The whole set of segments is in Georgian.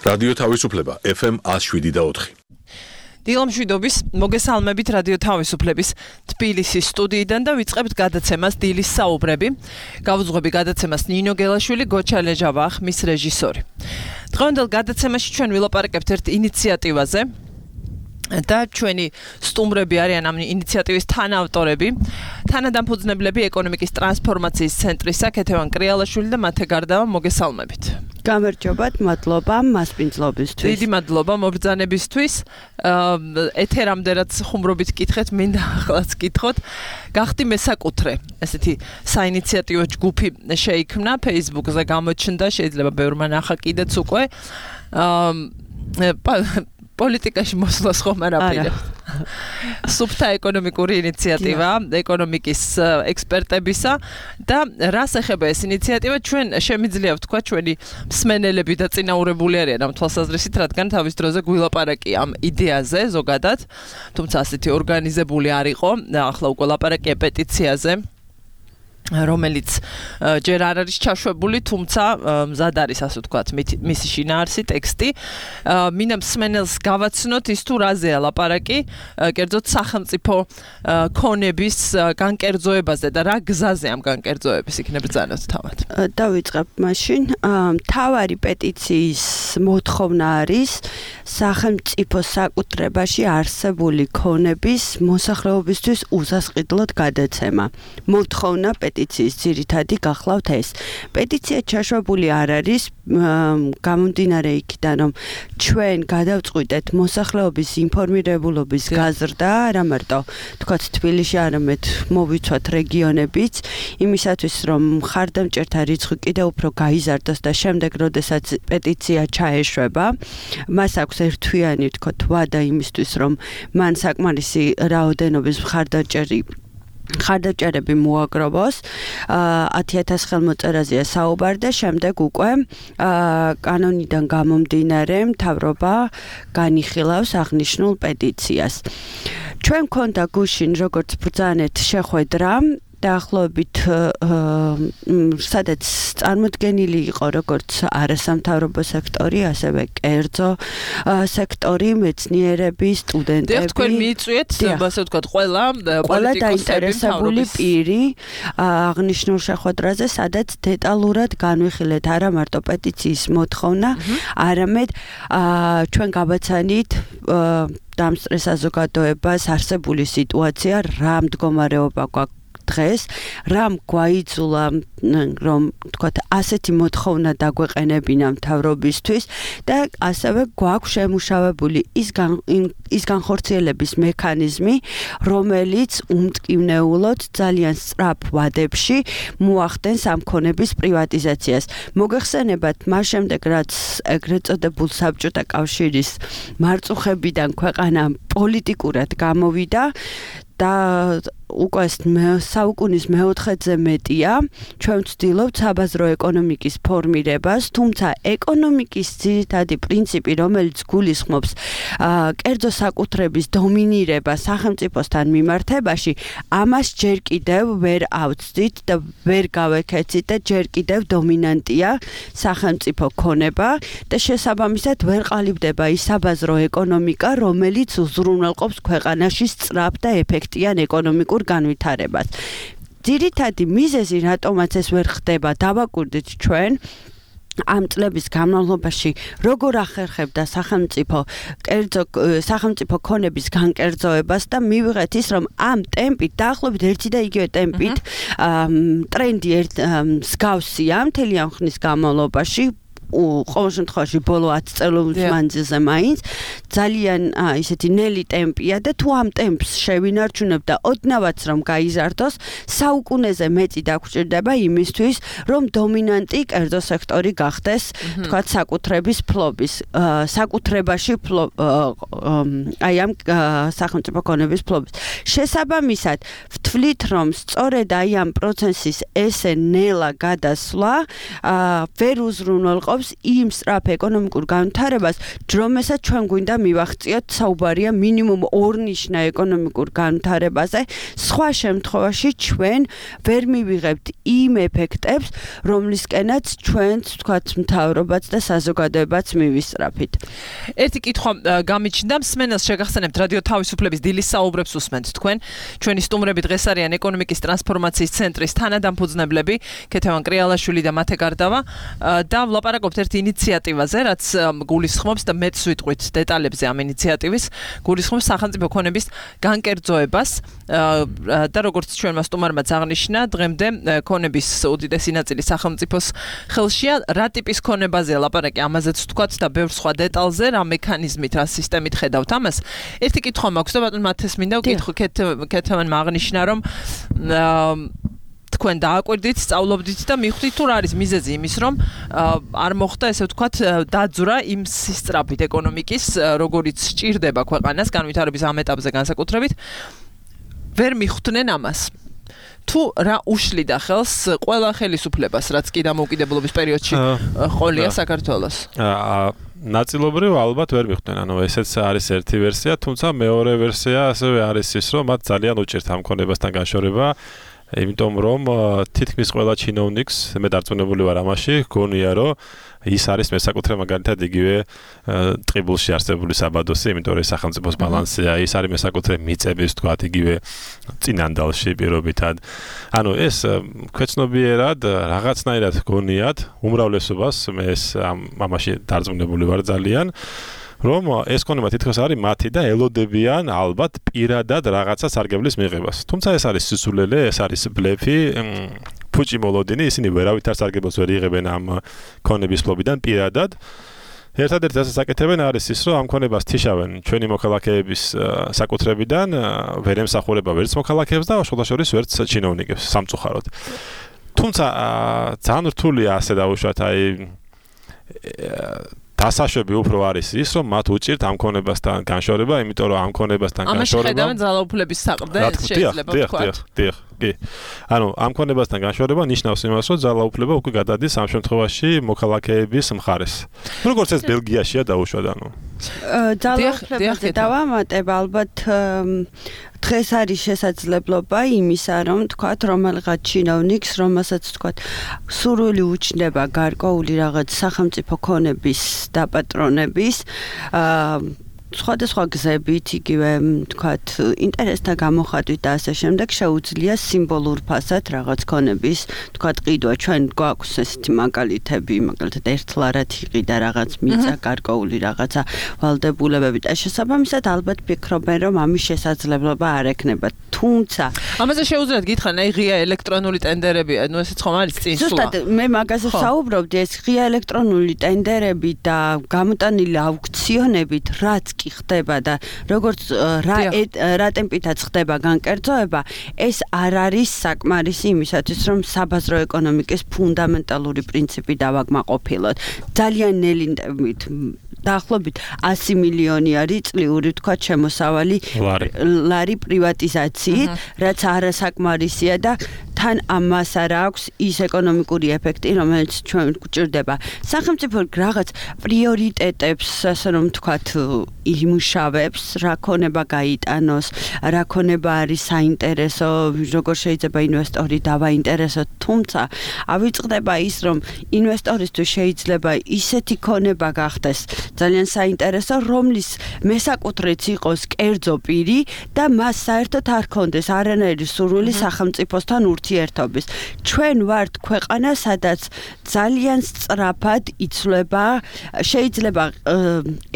რადიო თავისუფლება FM 107.4. დილამშვიდობის მოგესალმებით რადიო თავისუფლების თბილისის სტუდიიდან და ვიწყებთ გადაცემას დილის საუბრები. გავუძღვები გადაცემას ნინო გელაშვილი, გოჩა ლეჟავა, ხმის რეჟისორი. დღევანდელ გადაცემაში ჩვენ ვილაპარაკებთ ერთ ინიციატივაზე და ჩვენი სტუმრები არიან ამ ინიციატივის თანაავტორები, თანადამფუძნებლები ეკონომიკის ტრანსფორმაციის ცენტრისა ქეთევან კრიალაშვილი და მათე გარდავა მოგესალმებით. გამარჯობათ, მადლობა მასპინძლობისთვის. დიდი მადლობა მობრძანებისთვის. ეთერამდე რაც ხუმრობით კითხეთ, მინდა ახლაც კითხოთ. გახდი მესაკუთრე, ესეთი საინიციატივო ჯგუფი შეიქმნა, Facebook-ზე გამოჩნდა, შეიძლება ბევრმა ნახა კიდეც უკვე. პოლიტიკაში მოსვლას ხომ არ აპირებთ. სუფთა ეკონომიკური ინიციატივა, ეკონომიკის ექსპერტებისა და რას ეხება ეს ინიციატივა, ჩვენ შემიძლია ვთქვა ჩვენი მსმენელები და წინაურებული არიან ამ თვალსაზრისით, რადგან თავის დროზე გვილაპარაკი ამ იდეაზე ზოგადად, თუმცა ასეთი ორგანიზებული არ იყო, ახლა უკვე ლაპარაკია პეტიციაზე, რომელიც ჯერ არ არის ჩაშვებული, თუმცა მზად არის, ასე ვთქვათ, მისი შინაარსი ტექსტი. მინდა მსმენელს გავაცნოთ ის თუ რაზეა ლაპარაკი, კერძოდ სახელმწიფო ქონების განკერძოებაზე და რა გზაზე ამ განკერძოების იქნებ ბრძანოთ თავად. დავიწყებ მაშინ. მთავარი პეტიციის მოთხოვნა არის სახელმწიფო საკუთრებაში არსებული ქონების მოსახლეობისთვის უსასყიდლოდ გადაცემა. მოთხოვნა პეტიციის ძირითადი გახლავთ ეს. პეტიცია ჩაშვებული არ არის, გამომდინარე იქიდან, რომ ჩვენ გადავწყვიტეთ მოსახლეობის ინფორმირებულობის გაზრდა, არა მარტო თქვათ თბილისში, არამედ მოვიცვათ რეგიონებიც, იმისათვის რომ მხარდამჭერთა რიცხვი კიდევ უფრო გაიზარდოს და შემდეგ, როდესაც პეტიცია ჩაეშვება, მას აქვს ერთთვიანი თქვათ ვადა იმისთვის, რომ მან საკმარისი რაოდენობის მხარდამჭერები მოაგროვოს. 10,000 ხელმოწერაზეა საუბარი და შემდეგ უკვე კანონიდან გამომდინარე მთავრობა განიხილავს აღნიშნულ პეტიციას. ჩვენ მქონდა გუშინ როგორც ბრძანეთ შეხვედრა დაახლოებით სადაც წარმოდგენილი იყო როგორც არასამთავრობო სექტორი, ასევე კერძო სექტორი, მეცნიერები, სტუდენტები. თქვენ მიიწვიეთ, ასე ვთქვათ, ყველა დაინტერესებული პირი აღნიშნულ შეხვედრაზე, სადაც დეტალურად განვიხილეთ არა მარტო პეტიციის მოთხოვნა, არამედ ჩვენ გავაცანით დამსწრე საზოგადოებას არსებული სიტუაცია, რა მდგომარეობა გვაქვს დღეს, რამ გვაიძულა, რომ თქვათ, ასეთი მოთხოვნა დაგვეყენებინა მთავრობისთვის და ასევე გვაქვს შემუშავებული ის განხორციელების მექანიზმი, რომელიც უმტკივნეულოდ ძალიან სწრაფ ვადებში მოახდენს ამ ქონების პრივატიზაციას. მოგეხსენებათ, მას შემდეგ, რაც ეგრეთ წოდებულ საბჭოთა კავშირის მარწუხებიდან ქვეყანა პოლიტიკურად გამოვიდა და უკვე საუკუნის მეოთხედზე მეტია, ჩვენ ვცდილობთ საბაზრო ეკონომიკის ფორმირებას, თუმცა ეკონომიკის ძირითადი პრინციპი, რომელიც გულისხმობს კერძო საკუთრების დომინირებას სახელმწიფოსთან მიმართებაში, ამას ჯერ კიდევ ვერ ავწდით და ვერ გავექეცით და ჯერ კიდევ დომინანტია სახელმწიფო ქონება და შესაბამისად ვერ ყალიბდება ის საბაზრო ეკონომიკა, რომელიც უზრუნველყოფს ქვეყანაში სწრაფ და ეფექტიან ეკონომიკურ განვითარებას. ძირითადი მიზეზი, რატომაც ეს ვერ ხდება, დავაკვირდით ჩვენ ამ წლების განმავლობაში, როგორ ახერხებდა სახელმწიფო ქონების განკერძოებას და მივიღეთ ის, რომ ამ ტემპით, დაახლოებით ერთი და იგივე ტემპით, ტრენდი მსგავსია მთელი ამ ხნის განმავლობაში, ყოველ შემთხვევაში ბოლო 10 წელობის მანძილზე მაინც ძალიან ისეთი ნელი ტემპია და თუ ამ ტემპს შევინარჩუნებ და ოდნავაც რომ გაიზარდოს, საუკუნეზე მეტი დაგვჭირდება იმისთვის, რომ დომინანტი კერძო სექტორი გახდეს, თქვათ, საკუთრების ფლობის, საკუთრებაში აი ამ სახელმწიფო ქონების ფლობის. შესაბამისად, ვთვლით, რომ სწორედ აი ამ პროცესის ესე ნელა გადასვლა ვერ უზრუნველყოფს იმ სწრაფ ეკონომიკურ განვითარებას, რომელსაც ჩვენ გვინდა მივახციოთ, საუბარია მინიმუმ ორნიშნა ეკონომიკურ განვითარებაზე. სხვა შემთხვევაში ჩვენ ვერ მივიღებთ იმ ეფექტებს, რომლისკენაც ჩვენც, ვთქვათ, მთავრობაც და საზოგადოებაც მივისწრაფით. ერთი კითხვა გამიჩნდა, მსმენელს შეგახსენებთ რადიო თავისუფლების დილის საუბრებს უსმენთ თქვენ. ჩვენი სტუმრები დღეს არიან ეკონომიკის ტრანსფორმაციის ცენტრის თანადამფუძნებლები, ქეთევან კრიალაშვილი და მათე გარდავა და ვლაპარაკობთ ერთ ინიციატივაზე, რაც გულისხმობს და მეც ვიტყვით დეტალებზე ამ ინიციატივის, გულისხმობს სახელმწიფო ქონების განკერძოებას და როგორც ჩვენმა სტუმარმაც აღნიშნა, დღემდე ქონების უდიდესი ნაწილი სახელმწიფოს ხელშია. რა ტიპის ქონებაზეა ლაპარაკი, ამაზეც ვთქვათ და ბევრ სხვა დეტალზე, რა მექანიზმით, რა სისტემით ხედავთ ამას. ერთი კითხვა მაქვს და ბატონ მათეს მინდა ვკითხო ქეთევანმა აღნიშნა, რომ თქვენ დააკვირდით, სწავლობდით და მიხვდით თუ რა არის მიზეზი იმის, რომ არ მოხდა ესე ვთქვათ დაძვრა იმ სისწრაფით ეკონომიკის, როგორიც სჭირდება ქვეყანას განვითარების ამ ეტაპზე განსაკუთრებით, ვერ მიხვდნენ ამას. თუ რა უშლიდა ხელს ყველა ხელისუფლებას, რაც კი დამოუკიდებლობის პერიოდში ყოლია საქართველოს? ნაწილობრივ ალბათ ვერ მიხვდნენ, ანუ ესეც არის ერთი ვერსია, თუმცა მეორე ვერსია ასევე არის ის, რომ მათ ძალიან უჭირთ ამ ქონებასთან განშორება, იმიტომ რომ თითქმის ყველა ჩინოვნიკს, მე დარწმუნებული ვარ ამაში, გონია რომ ის არის მესაკუთრე მაგალითად იგივე ტყიბულში არსებული საბადოსი, იმიტომ რომ სახელმწიფოს ბალანსია, ის არის მესაკუთრე მიწების, თქვათ, იგივე წინანდალში პირობითად. ანუ ეს ქვეცნობიერად რაღაცნაირად გონიათ უმრავლესობას, მე ეს ამაში დარწმუნებული ვარ ძალიან. რომ ეს ქონება თითქოს არის მათი და ელოდებიან ალბათ პირადად რაღაცა სარგებლის მიღებას. თუმცა ეს არის სისულელე, ეს არის ბლეფი, ფუჭი მოლოდინი, ისინი ვერავითარ სარგებელს ვერ იღებენ ამ ქონების ფლობიდან პირადად. ერთადერთი რასაც აკეთებენ არის ის, რომ ამ ქონებას თიშავენ ჩვენი მოქალაქეების საკუთრებიდან, ვერ ემსახურება ვერც მოქალაქეებს და შულაშორის ვერც ჩინოვნიკებს სამწუხაროდ. თუმცა ძალიან რთულია ასე დავუშვათ, აი დასაშვები უფრო არის ის, რომ მათ უჭირთ ამ ქონებასთან განშორება, იმიტომ რომ ამ ქონებასთან განშორება ამაში ხედავენ ძალაუფლების საყრდენს შეიძლება ვთქვათ. კი. ანუ ამ ქონებასთან განშორება ნიშნავს იმას, რომ ძალაუფლება უკვე გადადის ამ შემთხვევაში მოქალაქეების მხარეს. როგორც ეს ბელგიაშია დაუშვათ, ანუ ძალაუფლებაზე დავამატებ, ალბათ დღეს არის შესაძლებლობა იმისა, რომ თქვათ, რომელიღაც ჩინოვნიკს, რომელსაც თქვათ, სურვილი უჩნდება გარკვეული რაღაც სახელმწიფო ქონების დაპატრონების, სხვადასხვა გზებით, იგივე, თქვათ, ინტერესთა გამოხატვით და ასე შემდეგ შეუძლია სიმბოლურ ფასად რაღაც ქონების, თქვათ, ყიდვა. ჩვენ გვაქვს ესეთი მაგალითები, მაგალითად ერთლარად იყიდა რაღაც მიწა, გარკვეული რაღაცა ვალდებულებები და შესაბამისად ალბათ ფიქრობენ, რომ ამის შესაძლებლობა არ ექნება. თუმცა ამაზე შეუძლიათ გითხრან, აი ღია ელექტრონული ტენდერები, ანუ ესეც ხომ არის წინსვლა. ზუსტად მე მაგაზე საუბრობდი, ეს ღია ელექტრონული ტენდერები და გამოტანილი აუქციონებით, რაც კი ხდება და როგორც რა ტემპითაც ხდება განკერძოება, ეს არ არის საკმარისი იმისათვის, რომ საბაზრო ეკონომიკის ფუნდამენტალური პრინციპი დავაკმაყოფილოთ. ძალიან ნელი ტემპით დაახლოებით 100 მილიონი არის წლიური, თქვა, შემოსავალი ლარი პრივატიზაციით, რაც არასაკმარისია და თან ამას არ აქვს ის ეკონომიკური ეფექტი, რომელიც ჩვენ გვჭირდება. სახელმწიფო რაღაც პრიორიტეტებს, ასე რომ ვთქვათ, იმუშავებს, რა ქონება გაიტანოს, რა ქონება არის საინტერესო, როგორ შეიძლება ინვესტორი დავაინტერესოთ, თუმცა ავიწყდება ის, რომ ინვესტორისთვის შეიძლება ისეთი ქონება გახდეს ძალიან საინტერესო, რომლის მესაკუთრეც იყოს კერძო პირი და მას საერთოდ არ ქონდეს არანაირი სურვილი სახელმწიფოსთან ურთიერთობის. ჩვენ ვართ ქვეყანა, სადაც ძალიან სწრაფად იცვლება, შეიძლება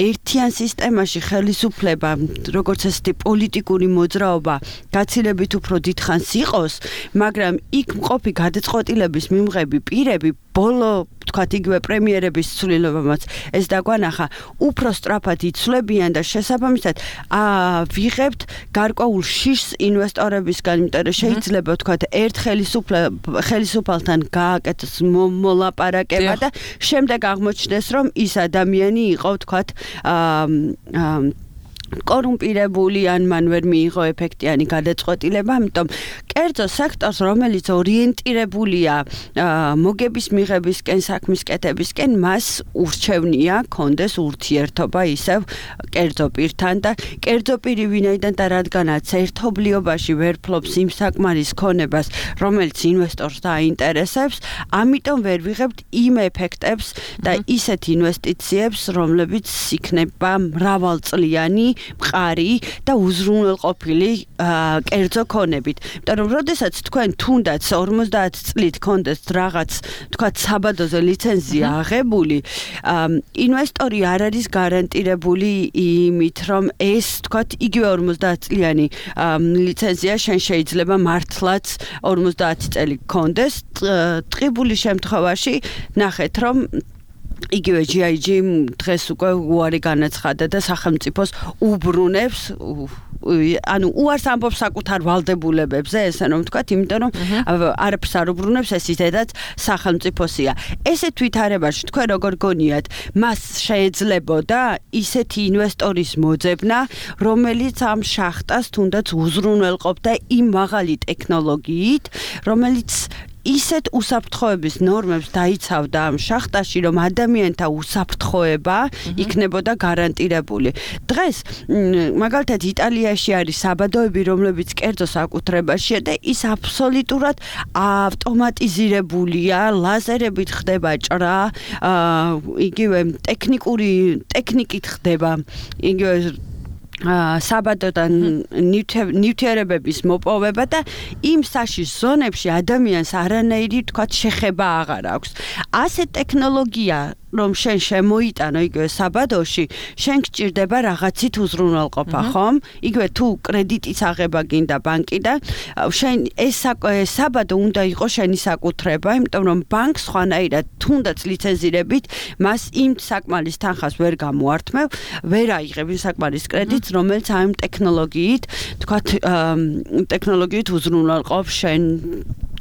ერთიან სისტემაში ხელისუფლება, როგორც ესეთი პოლიტიკური მოძრაობა, გაცილებით უფრო დიდხანს იყოს, მაგრამ იქ მყოფი გადაწყვეტილების მიმღები პირები ბოლო, თქვათ, იგივე პრემიერების ცვლილებამაც ეს დაგვანახა, უფრო სწრაფად იცვლებიან და შესაბამისად ვიღებთ გარკვეულ შიშს ინვესტორებისგან, იმიტომ რომ შეიძლება, თქვათ, ერთ ხელისუფალთან გააკეთოს მოლაპარაკება და შემდეგ აღმოჩნდეს, რომ ის ადამიანი იყო, თქვათ, კორუმპირებული ან მან ვერ მიიღო ეფექტიანი გადაწყვეტილება, ამიტომ კერძო სექტორს, რომელიც ორიენტირებულია მოგების მიღებისკენ, საქმის კეთებისკენ, მას ურჩევნია კონდეს ურთიერთობა ისევ კერძო პირთან და კერძო პირი ვინაიდან და რადგანაც ერთობლიობაში ვერ ფლობს იმ საკმარის ქონებას, რომელიც ინვესტორს დაინტერესებს, ამიტომ ვერ ვიღებთ იმ ეფექტებს და ისეთ ინვესტიციებს, რომლებიც იქნება მრავალწლიანი მყარი და უზრუნველყოფილი კერძო ქონებით. იმიტომ რომ როდესაც თქვენ თუნდაც 50 წლით კონდეს რაღაც თქვა საბადოზე ლიცენზია აღებული, ინვესტორი არ არის გარანტირებული იმით, რომ ეს თქვა იგივე 50 წლიანი ლიცენზია შენ შეიძლება მართლაც 50 წელი კონდეს. ტყიბული შემთხვევაში ნახეთ, რომ იგივე GIG დღეს უკვე უარი განაცხადა და სახელმწიფოს უბრუნებს ანუ უარს ამბობს საკუთარ ვალდებულებებზე, ესე რომ ვთქვათ, იმიტომ რომ არაფერს არ უბრუნებს, ეს ისედაც სახელმწიფოსია. ესეთ ვითარებაში თქვენ როგორ გონიათ, მას შეიძლებოდა ისეთი ინვესტორის მოძებნა, რომელიც ამ შახტას თუნდაც უზრუნველყოფდა იმ მაღალი ტექნოლოგიით, რომელიც ისეთ უსაფრთხოების ნორმებს დაიცავდა ამ შახტაში, რომ ადამიანთა უსაფრთხოება იქნებოდა გარანტირებული. დღეს მაგალითად იტალიაში არის საბადოები, რომლებიც კერძო საკუთრებაშია და ის აბსოლუტურად ავტომატიზირებულია, ლაზერებით ხდება ჭრა, იგივე ტექნიკით ხდება, იგივე საბადოდან ნივთიერებების მოპოვება და იმ საშიშ ზონებში ადამიანს არანაირი თქვათ შეხება აღარ აქვს. ასეთ ტექნოლოგია რომ შენ შემოიტანო იგივე საბადოში, შენ გჭირდება რაღაცით უზრუნველყოფა, ხომ? იგივე თუ კრედიტის აღება გინდა ბანკიდან, შენ ეს საბადო უნდა იყოს შენი საკუთრება, იმიტომ რომ ბანკს ხვანაირად თუნდაც ლიცენზირებით მას იმ საკმარის თანხას ვერ გამოართმევ, ვერ აიღებ იმ საკმარის კრედიტს, რომელიც ამ ტექნოლოგიით უზრუნველყოფს შენ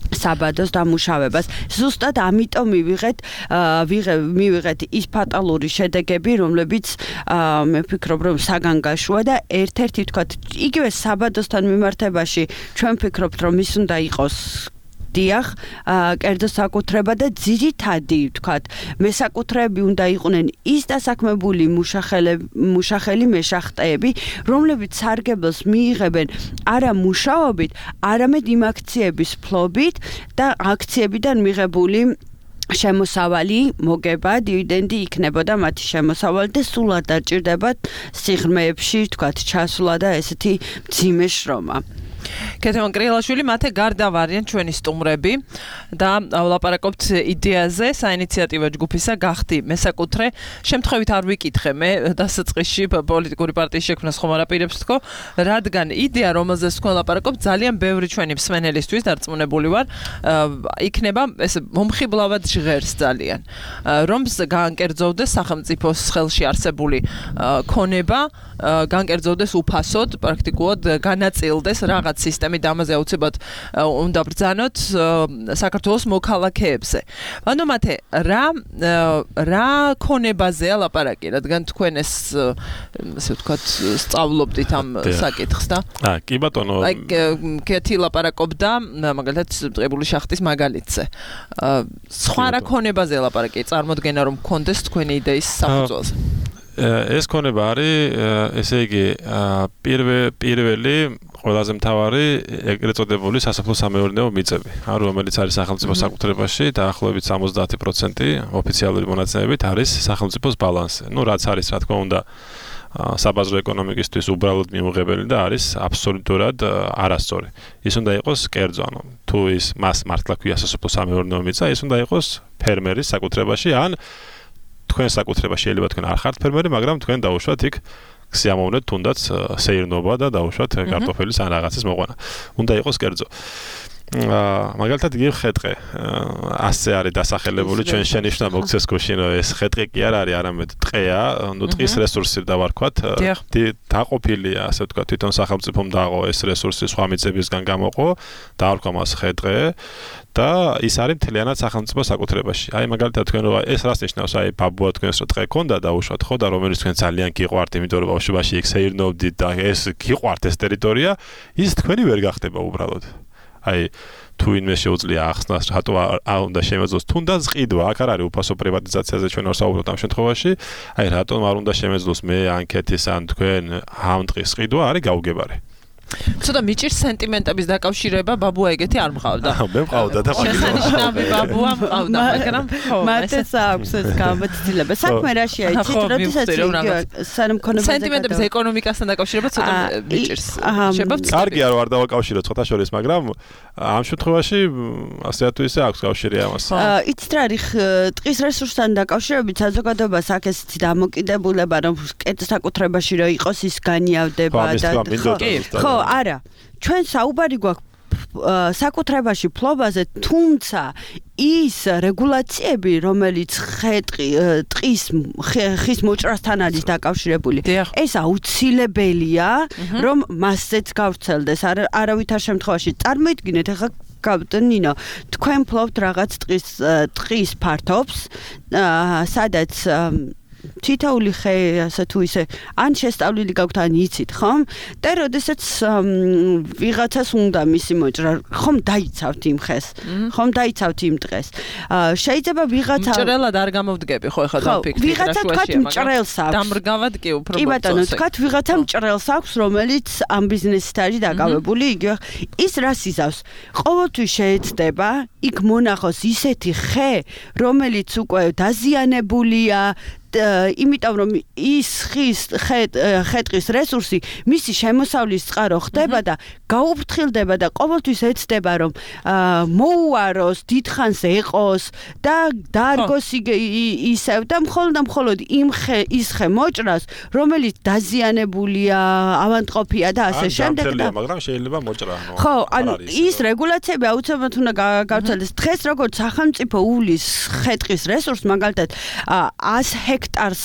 საბადოს დამუშავებას. ზუსტად ამიტომ მივიღეთ ის ფატალური შედეგები, რომლებიც მე ვფიქრობ, რომ საგანგაშოა და ერთ-ერთი თქვათ, იგივე საბადოსთან მიმართებაში ჩვენ ვფიქრობთ, რომ ის უნდა იყოს დიახ, კერძო საკუთრება და ძირითადი, ვთქვათ, მესაკუთრეები უნდა იყვნენ ის დასაქმებული მუშახელი მეშახტეები, რომლებიც სარგებელს მიიღებენ არა მუშაობით, არამედ იმ აქციების ფლობით და აქციებიდან მიღებული შემოსავალი მოგება, დივიდენდი იქნებოდა მათი შემოსავალი და სულ არ დაჭირდებათ სიღრმეებში, ვთქვათ, ჩასვლა და ესეთი მძიმე შრომა. კეთემან კრილაშვილი, მათე გარდა ვარიან ჩვენი სტუმრები და ვლაპარაკობთ იდეაზე, საინიციატივო ჯგუფისა გახდი მესაკუთრე. შემთხვევით არ ვიკითხე მე დასაწყისში პოლიტიკური პარტიის შექმნას ხომ არ აპირებს თქო, რადგან იდეა, რომელზეც თქვენ ვლაპარაკობთ, ძალიან ბევრი ჩვენი მსმენელისთვის დარწმუნებული ვარ, იქნება ეს მომხიბლავად ჟღერს ძალიან. რომ გაანკერძოვდეს სახელმწიფოს ხელში არსებული ქონება, გაანკერძოვდეს უფასოდ, პრაქტიკულად განაწილდეს რაღაც სისტემით, ამაზე აუცილებლად უნდა ბრძანოთ საქართველოს მოქალაქეებზე. ანუ მათე რა ქონებაზეა ლაპარაკი, რადგან თქვენ ეს ასე ვთქვათ სწავლობდით ამ საკითხს და კი ბატონო, კეთი ლაპარაკობდა მაგალითად ტყიბული შახტის მაგალითზე. სხვა რა ქონებაზეა ლაპარაკი, წარმოდგენა რომ გქონდეს თქვენი იდეის საფუძველზე. ეს ქონება არის, ესე იგი, პირველი ყველაზე მთავარი ეგრეთ წოდებული სასოფლო სამეურნეო მიწები, რომელიც არის სახელმწიფოს საკუთრებაში, დაახლოებით 70% ოფიციალური მონაცემებით არის სახელმწიფოს ბალანსზე. რაც არის, რა თქმა უნდა, საბაზრო ეკონომიკისთვის უბრალოდ მიუღებელი და არის აბსოლუტურად არასწორი. ის უნდა იყოს კერძო, თუ ის მას მართლა ქვია სასოფლო სამეურნეო მიწა, ის უნდა იყოს ფერმერის საკუთრებაში, ან თქვენ საკუთრებაში შეიძლება თქვენ არ ხართ ფერმერი, მაგრამ თქვენ დაუშვათ იქ სიამოვნეთ თუნდაც სეირნობა და დაუშვათ კარტოფილის ან რაღაცის მოყვანა. უნდა იყოს კერძო. მაგალითად იგივე ხეტყე ასე არის დასახელებული ჩვენ შენიშვნა მოგცეს გუშინ რომ ეს ხეტყე კი არ არის არამედ ტყეა ტყის რესურსი დავარქვათ დაყოფილია ასე ვთქვათ თვითონ სახელმწიფომ დააყო ეს რესურსი სხვა მიწებისგან გამოყო დაარქვა მას ხეტყე და ის არის მთლიანად სახელმწიფო საკუთრებაში. აი მაგალითად თქვენ რომ ეს რას ნიშნავს? აი ბაბუა თქვენს რომ ტყე ქონდა დაუშვათ ხო და რომელიც თქვენ ძალიან გიყვართ, იმიტომ რომ ბავშვობაში იქ სეირნობდით და ეს გიყვართ ეს ტერიტორია, ის თქვენი ვერ გახდება უბრალოდ. აი თუ ინმე შეუძლია ახსნას რატო არ უნდა შემეძლოს თუნდაც ყიდვა აქ არ არის უფასო პრივატიზაციაზე ჩვენ არ საუბრობთ ამ შემთხვევაში აი რატომ არ უნდა შემეძლოს მე ანკეთის ან თქვენ ამ ტყის ყიდვა არის გაუგებარი ცოტა მიჭირს სენტიმენტების დაკავშირება ბაბუა ეგეთი არ მყავდა. მე მყავდა და შესანიშნავი ბაბუა მყავდა, მაგრამ ხო, მათეს აქვს ეს გამოცდილება. საქმე რაშია, იცით, როდესაც სანამ ქონებაზე სენტიმენტების ეკონომიკასთან დაკავშირება ცოტა მიჭირს. შეგვიძლია კარგია რომ არ დავაკავშიროთ ცოტა შორის, მაგრამ ამ შემთხვევაში ასე თუ ისე აქვს კავშირი ამას. იცით რა არის ტყის რესურსთან დაკავშირებით საზოგადოებას აქ ეს დამოკიდებულება რომ საკუთრებაში რომ იყოს ის განიავდება და ხო არა ჩვენ საუბარი გვაქვს საკუთრებაში ფლობაზე თუმცა ის რეგულაციები რომელიც ხის მოჭრასთან არის დაკავშირებული ეს აუცილებელია რომ მასზეც გავრცელდეს არავითარ შემთხვევაში წარმოიდგინეთ ახლა ნინო თქვენ ფლობთ რაღაც ტყის ფართობს სადაც თითოეული ხე ასე თუ ისე ან შესწავლილი გაქვთ ან იცით ხომ და როდესაც ვიღაცას უნდა მისი მოჭრა ხომ დაიცავთ იმ ხეს ხომ დაიცავთ იმ დღეს შეიძლება ვიღაცა მჭრელად არ გამოვდგები ხო ეხლა დაფიქრდი ვიღაცა თქვათ მჭრელს აქვს დამრგავად კი უფრო კი ბატონო თქვათ ვიღაცა მჭრელს აქვს რომელიც ამ ბიზნესით არის დაკავებული იგივე ის რას იზავს ყოველთვის შეეცდება იქ მონახოს ისეთი ხე რომელიც უკვე დაზიანებულია იმიტომ რომ ის ხეტყის რესურსი მისი შემოსავლის წყარო ხდება და გაუფრთხილდება და ყოველთვის ეცდება რომ მოუაროს, დიდხანს ეყოს და დაარგოს ისევ და მხოლოდ ის ხე მოჭრას რომელიც დაზიანებულია, ავადმყოფია და ასე შემდეგ და მაგრამ შეიძლება მოჭრა ხო, ანუ ის რეგულაციები აუცილებლად უნდა გავრცელდეს. დღეს როგორც სახელმწიფო უვლის ხეტყის რესურსს მაგალითად 100 ჰექტარს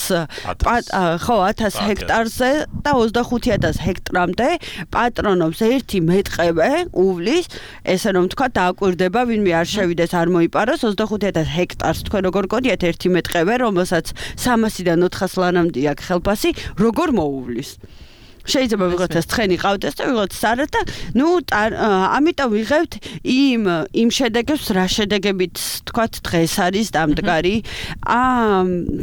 ხო 1000 ჰექტარზე და 25000 ჰექტრამდე პატრონობს ერთი მეტყევე უვლის ესე რომ თქვა დააკვირდება ვინმე არ შევიდეს არ მოიპაროს 25000 ჰექტარს თქვენ როგორ გონიათ ერთი მეტყევე რომელსაც 300-დან 400 ლანამდე აქვს ხელფასი როგორ მოუვლის შეიძლება ვიღაცას ცხენი ყავდეს და ვიღაცას არა და ნუ ამიტომ ვიღებთ იმ შედეგებს რა შედეგებით თქვათ დღეს არის დამდგარი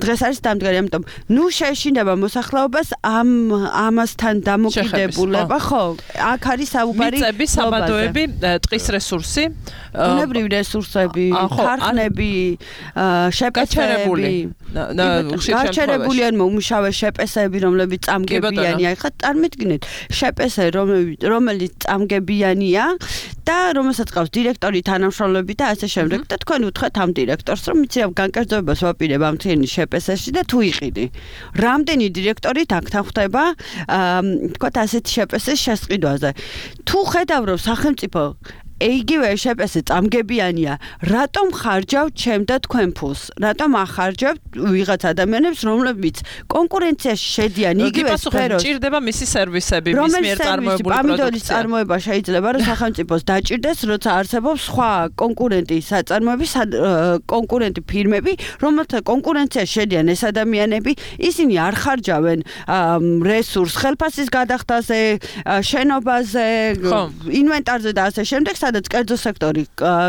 დღეს არის დამდგარი ამიტომ ნუ შეეშინება მოსახლეობას ამასთან დამოკიდებულება ხო აქ არის საუბარი მიწები საბადოები ტყის რესურსი ბუნებრივი რესურსები ქარხნები შეპესები გაჩერებული ან მომუშავე შეპესები რომლებიც წამგებიანია ხა წარმოიდგინეთ შეპესე რომელიც წამგებიანია და რომელსაც ყავს დირექტორი თანამშრომლები და ასე შემდეგ და თქვენ უთხრათ ამ დირექტორს რომ იცი განკერძოებას ვაპირებ ამ თემის შეპესეში და თუ იყიდი რამდენი დირექტორი თაქთან ხვდება თქვათ ასეთი შეპესეს შესყიდვაზე თუ ხედავ რომ სახელმწიფო იგივე შეპესე წამგებიანია რატომ ხარჯავთ ჩემ და თქვენ ფულს რატომ ახარჯავთ ვიღაც ადამიანებს რომლებიც კონკურენციაში შედიან იგივე სფეროს ჭირდება მისი სერვისები მის მიერ წარმოებული პროდუქცია წარმოება შეიძლება რომ სახელმწიფოს დაჭირდეს როცა არსებობს სხვა კონკურენტი ფირმები რომელთა კონკურენციაში შედიან ეს ადამიანები ისინი არ ხარჯავენ რესურს ხელფასის გადახდაზე შენობაზე ინვენტარზე და ასე შემდეგ სადაც კერძო სექტორი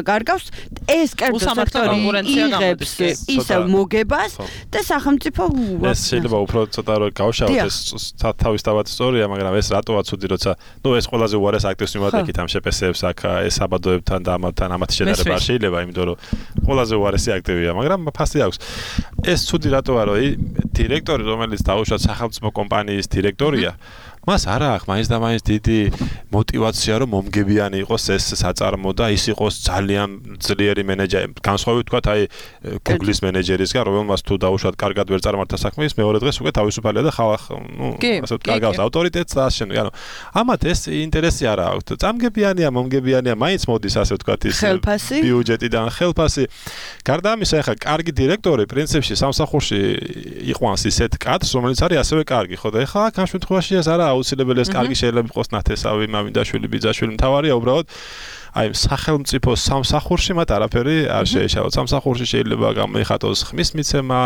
გარგავს ეს კერძო სექტორი იღებს ისევ მოგებას და სახელმწიფო ეს შეიძლება უფრო ცოტა რომ გავშალოთ ეს თავის თავად სწორია მაგრამ ეს რატოა ცუდი როცა ნუ ეს ყველაზე უარეს აქტივს მიმართებით ამ შეპესეებს აქ ეს საბადოებთან და ამათი შედარება არ შეიძლება იმიტომ რომ ყველაზე უარესი აქტივია მაგრამ ფასი აქვს ეს ცუდი რატოა რომ დირექტორი რომელიც დაუშვათ სახელმწიფო კომპანიის დირექტორია მას არა აქვს მაინც და მაინც დიდი мотивация რომ მომგებიანი იყოს ეს საწარმო და ის იყოს ძალიან ძლიერი მენეჯერი. განსხვავებით თქვა აი Google-ის მენეჯერისგან, რომელმაც თუ დაუშვათ კარგად ვერ წარმართა საქმე, ის მეორე დღეს უკვე თავისუფალია და ხალხ, ასე კარგავს ავტორიტეტს და ასე შემდეგ. ანუ ამათ ეს ინტერესი არა აქვს. წამგებიანია, მომგებიანია, მაინც მოდის ასე ვთქვათ ის ბიუჯეტიდან ხელფასი. გარდა ამისა, ახლა კარგი დირექტორი პრინციპში სამსახურში იყვანს ისეთ კადრს, რომელიც არის ასევე კარგი, ხო და ახლა აქ ამ შემთხვევაში ეს არა აუცილებელი ეს კარგი შეიძლება იყოს ნათესავი, მამინდაშვილი, ბიძაშვილი, მთავარია უბრალოდ აი სახელმწიფო სამსახურში მათ არაფერი არ შეეშალოთ. სამსახურში შეიძლება გამოიხატოს ხმის მიცემა,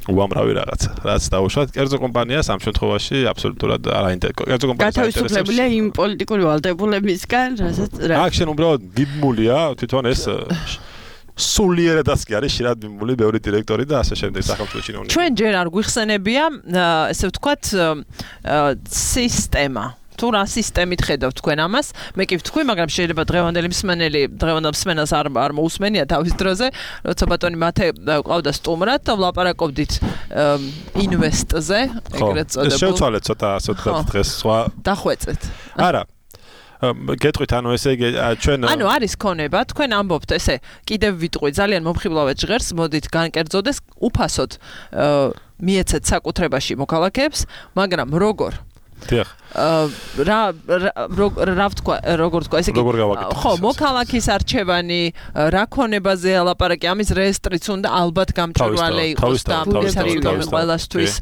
უამრავი რაღაცა, რაც დაუშვათ კერძო კომპანიას ამ შემთხვევაში აბსოლუტურად არ აინტერესებს. კერძო კომპანიას გათავისუფლებულია იმ პოლიტიკური ვალდებულებისგან, რასაც აქ შენ უბრალოდ ბიბმულია თვითონ ეს სულიერადაც კი არის შედარებით ბიბმული ბევრი დირექტორი და ასე შემდეგ სახელმწიფო ჩინოვნიკები. ჩვენ ჯერ არ გვიხსენებია, ესე ვთქვათ, სისტემა. თუ რა სისტემით ხედავთ თქვენ ამას, მე კი ვთქვი, მაგრამ შეიძლება დღევანდელი მსმენელს არ მოусმენია თავის დროზე, როცა ბატონი მათე ყავდა სტუმრად და ვლაპარაკობდით ინვესტზე, ეგრეთ წოდებულ. შევცვალეთ ცოტა დღეს სხვა დახვეწეთ. არა. გეტყვით, ანუ ესე იგი ჩვენ ანუ არის ქონება, თქვენ ამბობთ, ესე კიდევ ვიტყვი, ძალიან მომხიბლავეთ ჟღერს, მოდით განკერძოდეს, უფასოდ მიეცეთ საკუთრებაში მოქალაქეებს, მაგრამ როგორ? დიახ. რა ვთქვა, როგორ თქვა, ესე იგი ხო, მოქალაქის არჩევანი, რა ქონებაზე ალაპარაკი, ამის რეესტრიც უნდა ალბათ გამჭვირვალე იყოს და სამსახური ყველასთვის.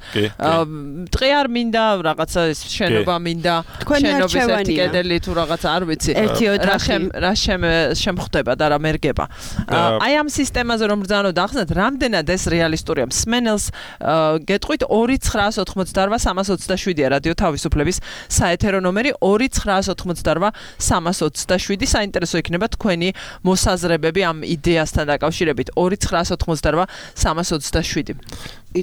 ტყე არ მინდა, რაღაცა შენობა მინდა, შენობის ერთი კედელი თუ რაღაცა არ ვიცი. რა შემხვდება და რა მერგება. აი ამ სისტემაზე რომ ბრძანოთ ახსნათ, რამდენად ეს რეალისტურია მსმენელს გეტყვით 2988327-ია რადიო თავისუფლების საეთერო ნომერი 2988327 საინტერესო იქნება თქვენი მოსაზრებები ამ იდეასთან დაკავშირებით 2988327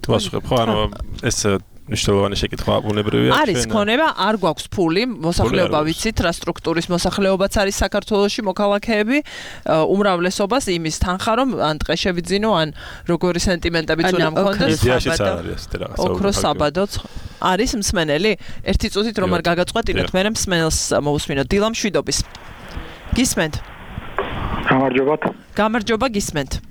იტყვასხებ ხო ანუ ეს მნიშვნელოვანი შეკითხვა ბუნებრივია არის ქონება არ გვაქვს ფული მოსახლეობა ვიცით რა სტრუქტურის მოსახლეობაც არის საქართველოში მოქალაქეები უმრავლესობას იმის თანხა რომ ან ტყე შევიძინო ან როგორი სენტიმენტებიც უნდა მქონდეს ოქროს საბადოც არის მსმენელი ერთი წუთით რომ არ გაგაწყვეტინოთ მე მსმენელს მოусმინოთ დილა მშვიდობის გისმენთ გამარჯობა გისმენთ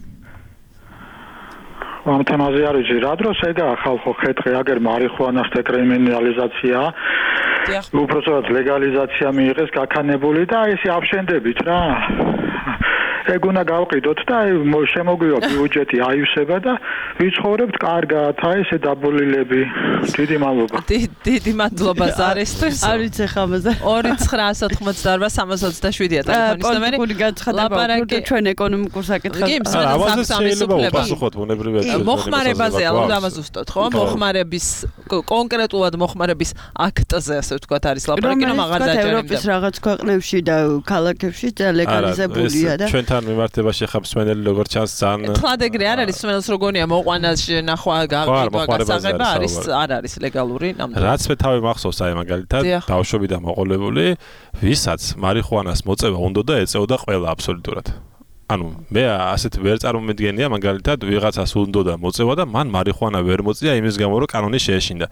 ამ თემაზე არის რა დროს ეგა ხალხო ხეთყი აგერ მარიხუანას დეკრიმინალიზაცია უბრალოდ ლეგალიზაცია მიიღეს გაქანებული და ესე აფშენდებით რა ეგ უნდა გავყიდოთ და შემოგვივა ბიუჯეტი აივსება და ვიცხოვრებთ კარგად აი ესე დაბოლილები დიდი მადლობა დიდი მადლობა ზარისთვის არ ვიცი ხამაზე 2988327-ია ტელეფონის ნომერი პოლიტიკური განცხადება ჩვენ ეკონომიკურ საკითხებს ამაზე შეიძლება უპასუხოთ ბუნებრივია მოხმარებაზე ალბათ ამას უსტოთ ხო მოხმარების კონკრეტულად მოხმარების აქტზე ასე ვთქვათ არის ლაპარაკი რომ აღარ დაჯერებდა ევროპის რაღაც ქვეყნებში და ქალაქებში ლეგალიზებულია და ჩვენთან მიმართებაში ხა მსმენელი როგორც ჩანს ძალიან თლად ეგრე არ არის მსმენელს როგორია მოყვანა ნახვა გასაღება არის არ არის ლეგალური ნამდვილად რაც მე თავი მახსოვს აი მაგალითად ბავშვობიდან მოყოლებული ვისაც მარიხუანას მოწევა უნდა და ეწეოდა ყველა აბსოლუტურად ანუ მე ასეთ ვერ წარმომედგენია მაგალითად ვიღაცას უნდა და მოწევა და მან მარიხუანა ვერ მოწია იმის გამო რომ კანონი შეეშინდა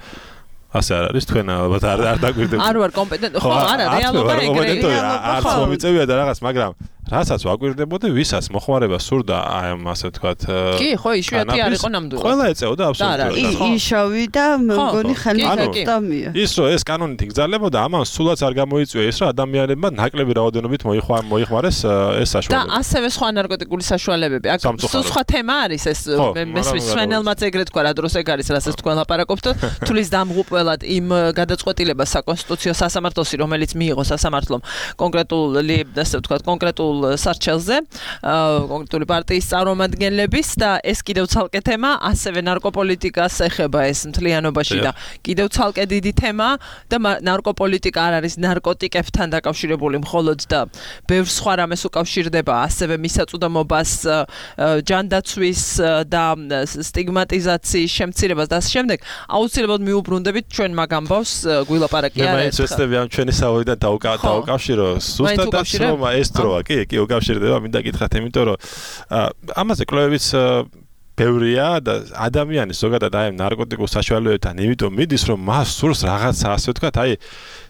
ასე არ არის თქვენ ალბათ არ დაგვირდებთ არ ვარ კომპეტენტი ხო არა რეალობა ეგრეა არც მომიწევია და რაღაც მაგრამ რასაც ვაკვირდებოდი ვისაც მოხმარება სურდა აი ამ ასე ვთქვათ კი ხო იშვიათი არ იყო ნამდვილად ყველა ეწეოდა აბსოლუტურად იშოვი და მგონი ხელმისაწვდომია ის რომ ეს კანონით იგზალებოდა ამან სულაც არ გამოიწვია ის რომ ადამიანებმა ნაკლები რაოდენობით მოიხმარეს ეს საშუალება და ასევე სხვა ნარკოტიკული საშუალებები აქ სხვა თემა არის ეს მესმის სვენელმაც ეგრეთ თქვა რა დროს ეგ არის რასაც თქვენ ლაპარაკობთ თulis დამღუპველად იმ გადაწყვეტილებას საკონსტიტუციო სასამართლოსი რომელიც მიიღო სასამართლომ კონკრეტული ასე ვთქვათ კონკრეტულ სარჩელზე კონკრეტული პარტიის წარმომადგენლების და ეს კიდევ ცალკე თემა ასევე ნარკოპოლიტიკას ეხება ეს მთლიანობაში და კიდევ ცალკე დიდი თემა და ნარკოპოლიტიკა არ არის ნარკოტიკებთან დაკავშირებული მხოლოდ და ბევრ სხვა რამეს უკავშირდება ასევე მისაწვდომობას ჯანდაცვის და სტიგმატიზაციის შემცირებას და შემდეგ აუცილებლად მიუბრუნდებით ჩვენ მაგ ამბავს გვილაპარაკი არ არის მე მეცდები ამ ჩვენი საუბრიდან დაუკავშირო ზუსტადაც რომ ეს დროა კი უკავშირდება მინდა გითხრათ იმიტომ რომ ამაზე კვლევებიც ბევრია და ადამიანის ზოგადად აი ნარკოტიკულ საშუალებებთან იმიტომ მიდის რომ მას სურს რაღაცა ასე ვთქვათ აი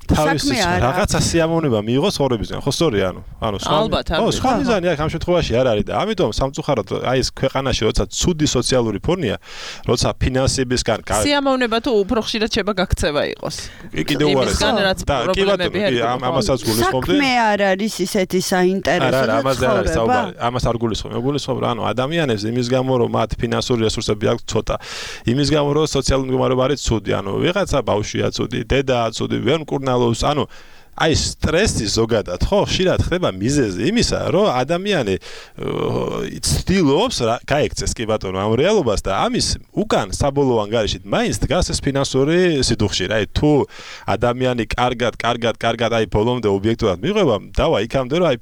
თავის რაღაცა სიამოვნება მიიღოს ხორებისგან ხო სწორია ანუ სხვა მიზანი აქ ამ შემთხვევაში არ არის და ამიტომ სამწუხაროდ აი ეს ქვეყანაში როცა ცუდი სოციალური ფონია როცა ფინანსებისგან სიამოვნება თუ უფრო ხშირად შეება გაქცევა იყოს კიდევ უარეს და კი ბატონო ამასაც გულისხმობდი საქმე არ არის ისეთი საინტერესო არა ამაზე არ არის საუბარი ამას არ გულისხმობ ანუ ადამიანებს იმის გამო რომ მათ ფინანსური რესურსები აქვს ცოტა იმის გამო რომ სოციალური მდგომარეობა არის ცუდი ანუ ვიღაცა ბავშვია ცუდი დედაა ცუდი ვერ მკურნალობს ანუ აი სტრესი ზოგადად ხო ხშირად ხდება მიზეზი იმისა რომ ადამიანი ცდილობს გაექცეს კი ბატონო ამ რეალობას და ამის უკან საბოლოო ანგარიშით მაინც დგას ეს ფინანსური სიდუხში რა თუ ადამიანი კარგად აი ბოლომდე ობიექტურად მიღვება დავა იქამდე რომ აი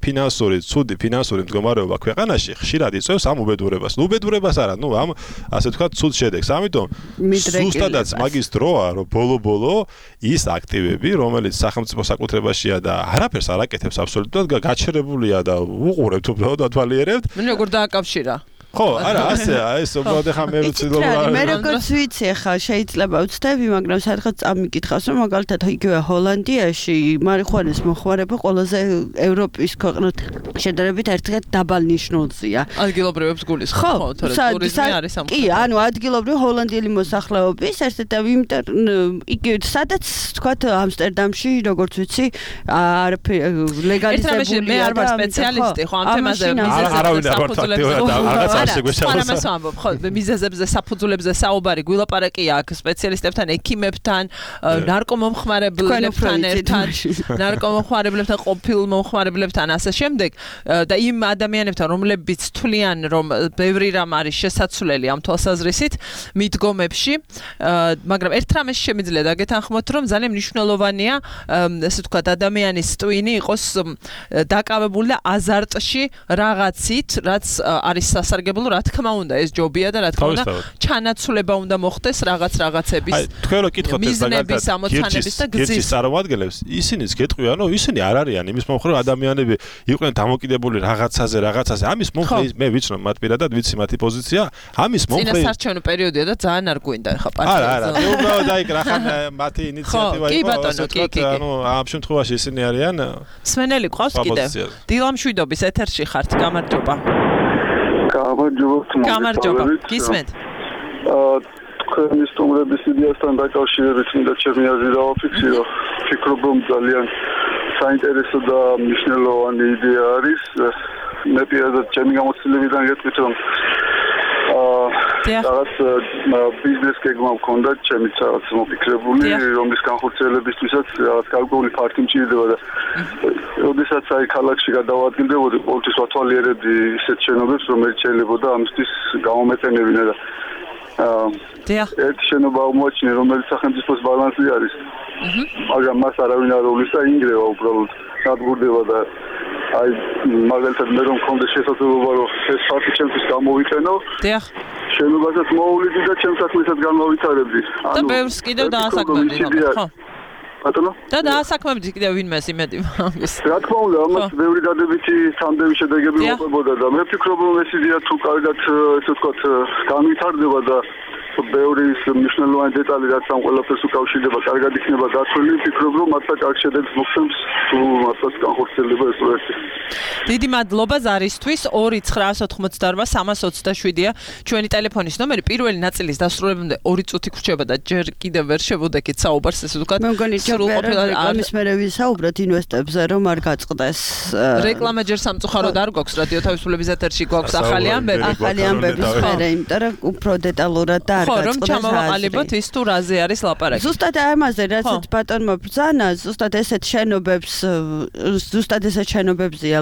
ცუდი ფინანსური მდგომარეობა ქვეყანაში ხშირად იწვევს ამ უბედურებას უბედურებას არა ამ ასე ვთქვათ ცუდ შედეგს ამიტომ ზუსტადაც მაგის დროა რომ ბოლო ის აქტივები რომელიც სახელმწიფო საკუთრებაში და არაფერს არ აკეთებს აბსოლუტურად გაჩერებულია და უყურებთ უბრალოდ ათვალიერებთ. როგორ დააკავშირა? ხო, არა, ასეა, ეს უბრალოდ ახლა მე ვცდილობ მე როგორც ვიცი ახლა შეიძლება ვცდები, მაგრამ სადღაც წამიკითხავს, რომ მაგალითად იგივე ჰოლანდიაში მარიხუანის მოხმარება ყველაზე ევროპის ქვეყნებთან შედარებით ერთხელ დაბალ ნიშნულზეა. ადგილობრივებს გულისხმობ, ხო, თორემ ტურიზმი არის ამ. კი, ანუ ადგილობრივი ჰოლანდიელი მოსახლეობის ერთ-ერთი იგივე სადაც თქვათ ამსტერდამში, როგორც ვიცი, ლეგალიზებულია. მე არ ვარ სპეციალისტი, ხო, ამ თემაზე არავინ არ ვარ ფაქტიურად ამას ვამბობ, ხო, მიზეზებზე, საფუძვლებზე საუბარი გვილაპარაკია აქ სპეციალისტებთან, ექიმებთან, ნარკომომხმარებლებთან ერთად, ნარკომომხმარებლებთან, ყოფილ მომხმარებლებთან ასე შემდეგ და იმ ადამიანებთან, რომლებიც თვლიან, რომ ბევრი რამ არის შესაძლებელი ამ თვალსაზრისით მიდგომებში, მაგრამ ერთ რამეს შემიძლია დაგეთანხმოთ, რომ ძალიან მნიშვნელოვანია, ესე ვთქვათ, ადამიანის ტვინი იყოს დაკავებული და აზარტში რაღაცით, რაც არის სასარგებლო რა თქმა უნდა ეს ჯობია და რა თქმა უნდა ჩანაცვლება უნდა მოხდეს რაღაცების აი თქვენ რო კითხოთ ეს მაგალითად ამოცანების და გზის წარმომადგენლებს ისინიც გეტყვიან რომ ისინი არ არიან იმის მომხრე ადამიანები იყვნენ დამოკიდებული რაღაცაზე ამის მომხრე მე ვიცნობ მათ პირადად ვიცი მათი პოზიცია ამის მომხრე წინასარჩევნო პერიოდია და ძალიან არ გვინდა ხა პარტიაზე არა მე უბრალოდ აი რახან მათი ინიციატივა იყო ანუ ამ შემთხვევაში ისინი არიან სვენელი ყავს კიდევ დილამშვიდობის ეთერში ხართ გამარჯობა გამარჯობა გისმენთ თქვენი სტუმრების იდეასთან დაკავშირებით მინდა ჩემი აზრი დავაფიქსირო ფიქრობ რომ ძალიან საინტერესო და მნიშვნელოვანი იდეა არის მე პირადად ჩემი გამოცდილებიდან გეტყვით რომ რაღაც ბიზნეს გეგმა მქონდა ჩემიც რაღაც მოფიქრებული რომლის განხორციელებისთვისაც რაღაც გარკვეული ფართი მჭირდება და როდესაც აი ქალაქში გადავადგილდებოდი ყოველთვის ვათვალიერებდი ისეთ შენობებს რომელიც შეიძლებოდა ამისთვის გამომეყენებინა და ერთი შენობა მოაჩინე რომელიც სახელმწიფოს ბალანსი არის მაგრამ მას არავინ არ უვლის და ინგრევა უბრალოდ დადგურდება და აი მაგალითად მე რომ მქონდეს შესაძლებლობა რომ ეს ფაქტი ჩემთვის გამოვიყენო შენობასაც მოუვლიდი და ჩემს საქმესაც განმოვითარებდი და ბევრს კიდევ დაასაქმებდი ხო ბატონო და დაასაქმებდი კიდევ ვინმეს იმედი მაგის რა თქმა უნდა ამას ბევრი დადებითი სამდევი შედეგები მოყვებოდა და მე ვფიქრობ რომ ეს იდეა თუ კარგად ესე ვთქვათ განვითარდება და ბევრი მნიშვნელოვანი დეტალი რაც ამ ყველაფერს უკავშირდება კარგად იქნება დათვლილი ვფიქრობ რომ მართლა კარგ შედეგს მოხდებს თუ მართლაც განხორციელდება ეს პროექტი დიდი მადლობა ზარისთვის 2988327-ია ჩვენი ტელეფონის ნომერი პირველი ნაწილის დასრულებამდე 2 წუთი გრჩება და ჯერ კიდევ ვერ შევუდექით საუბარს ესე ვთქვათ მე მგონი ამის მერე ვისაუბროთ ინვესტორებზე რომ არ გაწყდეს რეკლამა ჯერ სამწუხაროდ არ გვაქვს რადიო თავისუფლების ეთერში გვაქვს ახალი ამბები მერე იმიტომ რომ უფრო დეტალურად და ხო რომ ჩამოვაყალიბოთ ის თუ რაზე არის ლაპარაკი ზუსტად ამაზე რასაც ბატონმა ბრძანა ზუსტად ესეთ შენობებზეა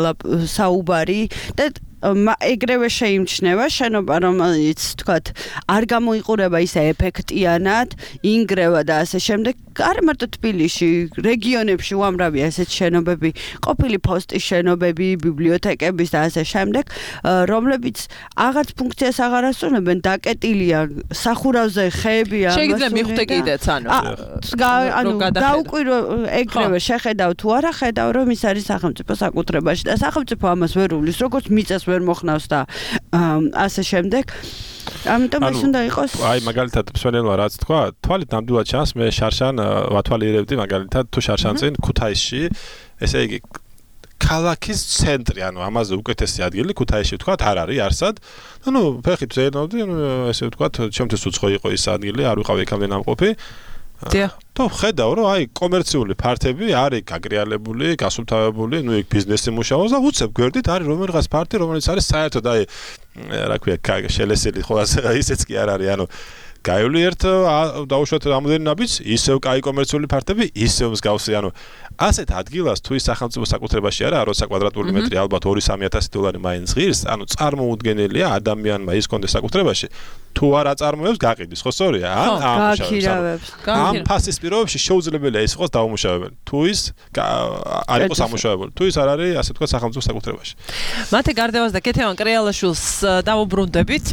საუბარი და ეგრევე შეიმჩნევა შენობა რომელიც თქვათ არ გამოიყურება ისე ეფექტიანად ინგრევა და ასე შემდეგ არ მარტო თბილისში რეგიონებში უამრავია ესეთ შენობები ყოფილი პოსტის შენობები ბიბლიოთეკების და ასე შემდეგ რომლებიც აღარც ფუნქციას აღარ ასრულებენ დაკეტილია სახურავზე ხეებია შეიძლება მიხვდე კიდეც ანუ დაუკვირო ეგრევე შეხედავ თუ არა ხედავ რომ ის არის სახელმწიფო საკუთრებაში და სახელმწიფო ამას ვერ უვლის როგორც მიწას ვერ მოხნავს და ასე შემდეგ ამიტომ ეს უნდა იყოს. აი მაგალითად მსვენელმა რაც თქვა, თვალით ნამდვილად ჩანს მე შარშან ვათვალიერებდი მაგალითად თუ შარშან წინ ქუთაისში, ესე იგი ქალაქის ცენტრი, ანუ ამაზე უკეთესი ადგილი ქუთაისში ვთქვათ არ არის არსად. ანუ ფეხით ზენობდი, ანუ ესე ვთქვათ, ჩემთვის უცხო იყო ის ადგილი, არ ვიყავი იქამდე ნამყოფი. თუ ხედავ რომ აი კომერციული ფართები არის გაგრიალებული, გასუფთავებული, ნუ იქ ბიზნესი მუშაობს და უცებ გვერდით არის რომელიღაც ფართი, რომელიც არის საერთოდ აი რა ქვია შელესილი ხო ისეც კი არ არის, ანუ გაივლი ერთ დაუშვათ რამოდენი ნაბიჯს, ისევ კაი კომერციული ფართები, ისევ მსგავსი, ანუ ასეთ ადგილას თუ ის სახელმწიფო საკუთრებაში არა 20 კვადრატული მეტრი ალბათ 2-3 $3 მაინც ღირს, ანუ წარმოუდგენელია ადამიანმა ის კონდეს საკუთრებაში. თუ არ აწარმოებს გაყიდის, ხო სწორია? ამ ფასის პირობებში შეუძლებელია ის იყოს დაუმუშავებელი. თუ ის არ იყოს ამუშავებელი, თუ ის არ არის ასე ვთქვათ სახელმწიფო საკუთრებაში. მათე გარდევას და კეთევან კრეალაშვილს დავუბრუნდებით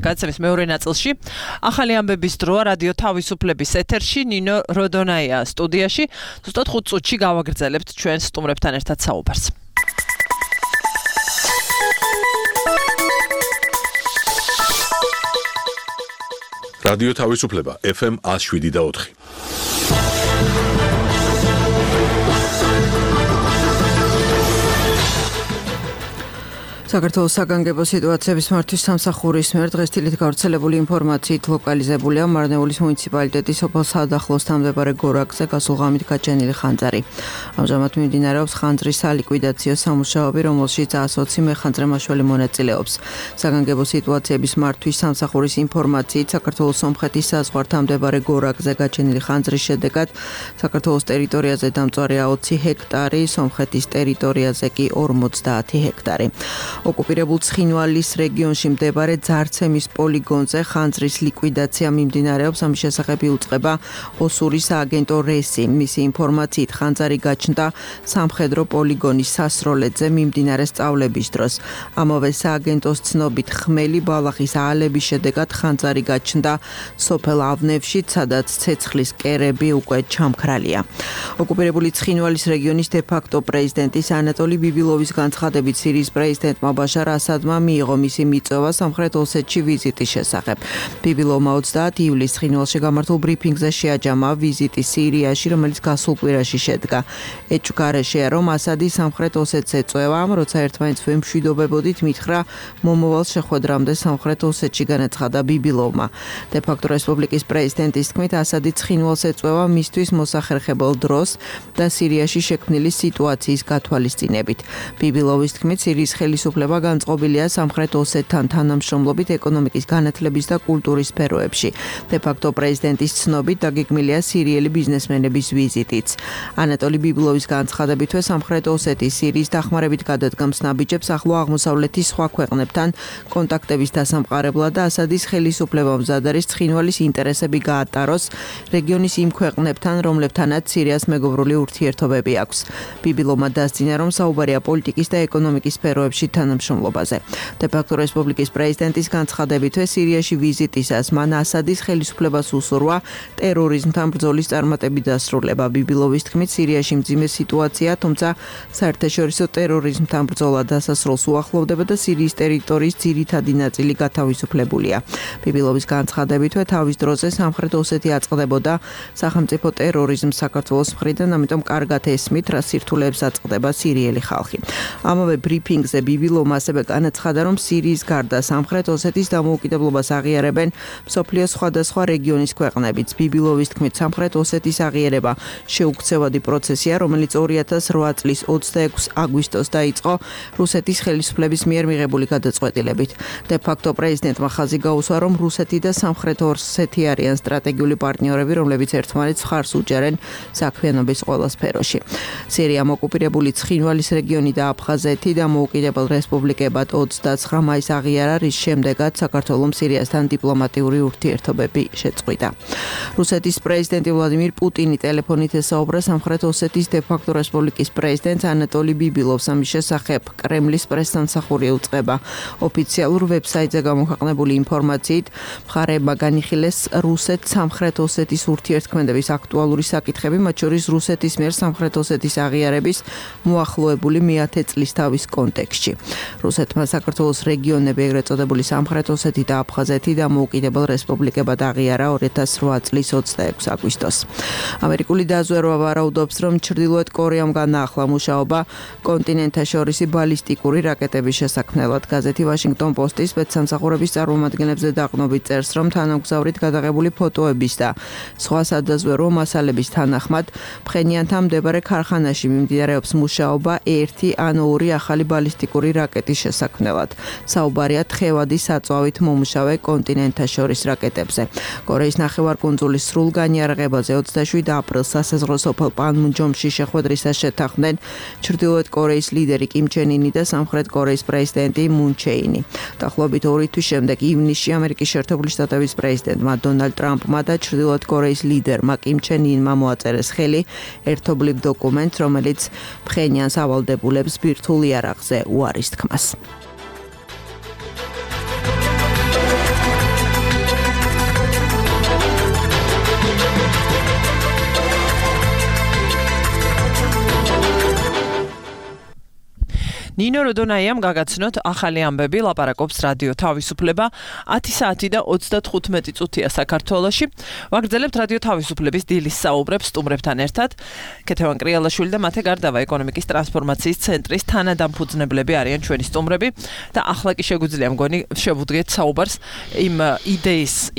გადაცემის მეორე ნაწილში. ახალი ამბების დროა რადიო თავისუფლების ეთერში ნინო როდონაია სტუდიაში. ზუსტად 5 წუთში გავაგრძელებთ ჩვენ სტუმრებთან ერთად საუბარს. რადიო თავისუფლება FM 107.4. საქართველოს საგანგებო სიტუაციების მართვის სამსახურის მიერ დღეს თილით გავრცელებული ინფორმაციით ლოკალიზებულია მარნეულის მუნიციპალიტეტის სოფელ საადახლოს თავმდებარე გორაკზე გასულ ღამით გაჩენილი ხანძარი. ამჟამად მიმდინარეობს ხანძრის სალიკვიდაციო სამუშაოები, რომელშიც 120 მეხანძრე მაშველი მონაწილეობს. საგანგებო სიტუაციების მართვის სამსახურის ინფორმაციით საქართველოს სომხეთის საზღვართან მდებარე გორაკზე გაჩენილი ხანძრის შედეგად საქართველოს ტერიტორიაზე დამწვარია 20 ჰექტარი, სომხეთის ტერიტორიაზე კი 50 ჰექტარი. ოკუპირებულ ცხინვალის რეგიონში მდებარე ძარცემის პოლიგონზე ხანძრის ლიკვიდაცია მიმდინარეობს. ამის შესახებ იუწყება ოსურის სააგენტო რესი. მისი ინფორმაციით ხანძარი გაჩნდა სამხედრო პოლიგონის სასროლედზე მიმდინარე სწავლების დროს. ამავე სააგენტოს ცნობით ხმელი ბალახის აალების შედეგად ხანძარი გაჩნდა სოფელ ავნევში, სადაც ცეცხლის კერები უკვე ჩამქრალია. ოკუპირებული ცხინვალის რეგიონის დე-ფაქტო პრეზიდენტის ანატოლი ბიბილოვის განცხადებით სირიის პრეზიდენტმა ბაშარ ასადმა მიიღო მისი მიწვევა სამხრეთ ოსეთში ვიზიტის შესახებ. ბიბილოვმა 30 ივლისს ცხინვალში გამართულ ბრიფინგზე შეაჯამა ვიზიტი სირიაში, რომელიც გასულ კვირაში შედგა. ეჭვგარეშეა, რომ ასადი სამხრეთ ოსეთს ეწვევა, როცა ერთმანეთს ვემშვიდობებოდით, მითხრა მომავალ შეხვედრამდე სამხრეთ ოსეთში, განაცხადა ბიბილოვმა. დე-ფაქტო რესპუბლიკის პრეზიდენტის თქმით, ასადი ცხინვალს ეწვევა მისთვის მოსახერხებელ დროს და სირიაში შექმნილი სიტუაციის გათვალისწინებით. ბიბილოვის თქმით, სირიის ხელისუფლება განწყობილია სამხრეთ ოსეთთან თანამშრომლობით ეკონომიკის განათლების და კულტურის სფეროებში. დე-ფაქტო პრეზიდენტის ცნობით დაგეგმილია სირიელი ბიზნესმენების ვიზიტიც. ანატოლი ბიბილოვის განცხადებითვე სამხრეთ ოსეთის სირიის დახმარებით გადადგამს ნაბიჯებს ახლო აღმოსავლეთის სხვა ქვეყნებთან კონტაქტების დასამყარებლად და ასადის ხელისუფლებამ მზად არის ცხინვალის ინტერესები გაატაროს რეგიონის იმ ქვეყნებთან, რომლებთანაც სირიას მეგობრული ურთიერთობები აქვს. ბიბილოვმა დასძინა, რომ საუბარია პოლიტიკის და ეკონომიკის სფეროებში თანამშრომლობაზე. დე-ფაქტო რესპუბლიკის პრეზიდენტის განცხადებითვე სირიაში ვიზიტისას მან ასადის ხელისუფლებას უსურვა ტერორიზმთან ბრძოლის წარმატებით დასრულება. ბიბილოვის თქმით, სირიაში მძიმე სიტუაცია, თუმცა საერთაშორისო ტერორიზმთან ბრძოლა დასასრულს უახლოვდება და სირიის ტერიტორიის ძირითადი ნაწილი გათავისუფლებულია. ბიბილოვის განცხადებითვე თავის დროზე სამხრეთ ოსეთი აწყდებოდა სახელმწიფო ტერორიზმს საქართველოს მხრიდან, ამიტომ კარგად ესმით, რა სირთულეებს აწყდება სირიელი ხალხი. ამავე ბრიფინგზე ბიბილოვმა ასევე განაცხადა, რომ სირიის გარდა სამხრეთ ოსეთის დამოუკიდებლობას აღიარებენ მსოფლიოს სხვადასხვა რეგიონის ქვეყნებიც. ბიბილოვის თქმით, სამხრეთ ოსეთის აღიარება შეუქცევადი პროცესია, რომელიც 2008 წლის 26 აგვისტოს დაიწყო რუსეთის ხელისუფლების მიერ მიღებული გადაწყვეტილებით. დე-ფაქტო პრეზიდენტმა ხაზი გაუსვა, რომ რუსეთი და სამხრეთ ოსეთი არიან სტრატეგიული პარტნიორები, რომლებიც ერთმანეთს მხარს უჭერენ საქმიანობის ყველა სფეროში. სირიამ ოკუპირებული ცხინვალის რეგიონი და აფხაზეთი დამოუკიდებელ რესპუბლიკებად 29 მაისს აღიარა, რის შემდეგაც საქართველოს სირიასთან დიპლომატიური ურთიერთობები შეწყვიტა. რუსეთის პრეზიდენტი ვლადიმირ პუტინი ტელეფონით ესაუბრა სამხრეთ ოსეთის დე-ფაქტო რესპუბლიკის პრეზიდენტს ანატოლი ბიბილოვს. ამის შესახებ კრემლის პრესსამსახური უწყება ოფიციალურ ვებსაიტზე გამოქვეყნებული ინფორმაციით, მხარეებმა განიხილეს რუსეთ-სამხრეთ ოსეთის ურთიერთქმედების აქტუალური საკითხები, მათ შორის რუსეთის მიერ სამხრეთ ოსეთის აღიარების მოახლოებული 10 წლის თავის კონტექსტში. რუსეთმა საქართველოს რეგიონები, ეგრეთ წოდებული სამხრეთ ოსეთი და აფხაზეთი დამოუკიდებელ რესპუბლიკებად აღიარა 2008 წლის 26 აგვისტოს. ამერიკული დაზვერვა ვარაუდობს, რომ ჩრდილოეთ კორეამ განაახლა მუშაობა კონტინენტთაშორისი ბალისტიკური რაკეტების შესაქმნელად. გაზეთი Washington Post-ის სპეცსამსახურების წარმომადგენლებზე დაყრდნობით წერს, რომ თანამგზავრით გადაღებული ფოტოების და სხვა სადაზვერვო მასალების თანახმად ფხენიანთან მდებარე ქარხანაში მიმდინარეობს მუშაობა 1 ან 2 ახალი ბალისტიკური რაკეტის შესაქმნელად. საუბარია თხევადი საწვავით მომუშავე კონტინენტთაშორის რაკეტებზე. კორეის ნახევარკუნძულის სრულ განიარაღებაზე 27 აპრილს სასაზღვრო სოფელ პანმუნჯომში შეხვედრისას შეთანხმდნენ ჩრდილოეთ კორეის ლიდერი კიმ ჩენ ინი და სამხრეთ კორეის პრეზიდენტი მუნ ჩე ინი. დაახლოებით 2 თვის შემდეგ ივნისში ამერიკის შეერთებული შტატების პრეზიდენტმა დონალდ ტრამპმა და ჩრდილოეთ კორეის ლიდერმა კიმ ჩენ ინმა მოაწერეს ხელი ერთობლივ დოკუმენტს, რომელიც ფხენიანს ავალდებულებს ბირთვულ იარაღზე უარის თქმას. ნინო როდონაიამ გაგაცნოთ ახალი ამბები, ლაპარაკობს რადიო თავისუფლება 10 საათი და 35 წუთია საქართველოში. ვაგრძელებთ რადიო თავისუფლების დილის საუბრებს სტუმრებთან ერთად. ქეთევან კრიალაშვილი და მათე გარდავა ეკონომიკის ტრანსფორმაციის ცენტრის თანადამფუძნებლები არიან ჩვენი სტუმრები და ახლა კი შეგვიძლია მგონი შევუდგეთ საუბარს იმ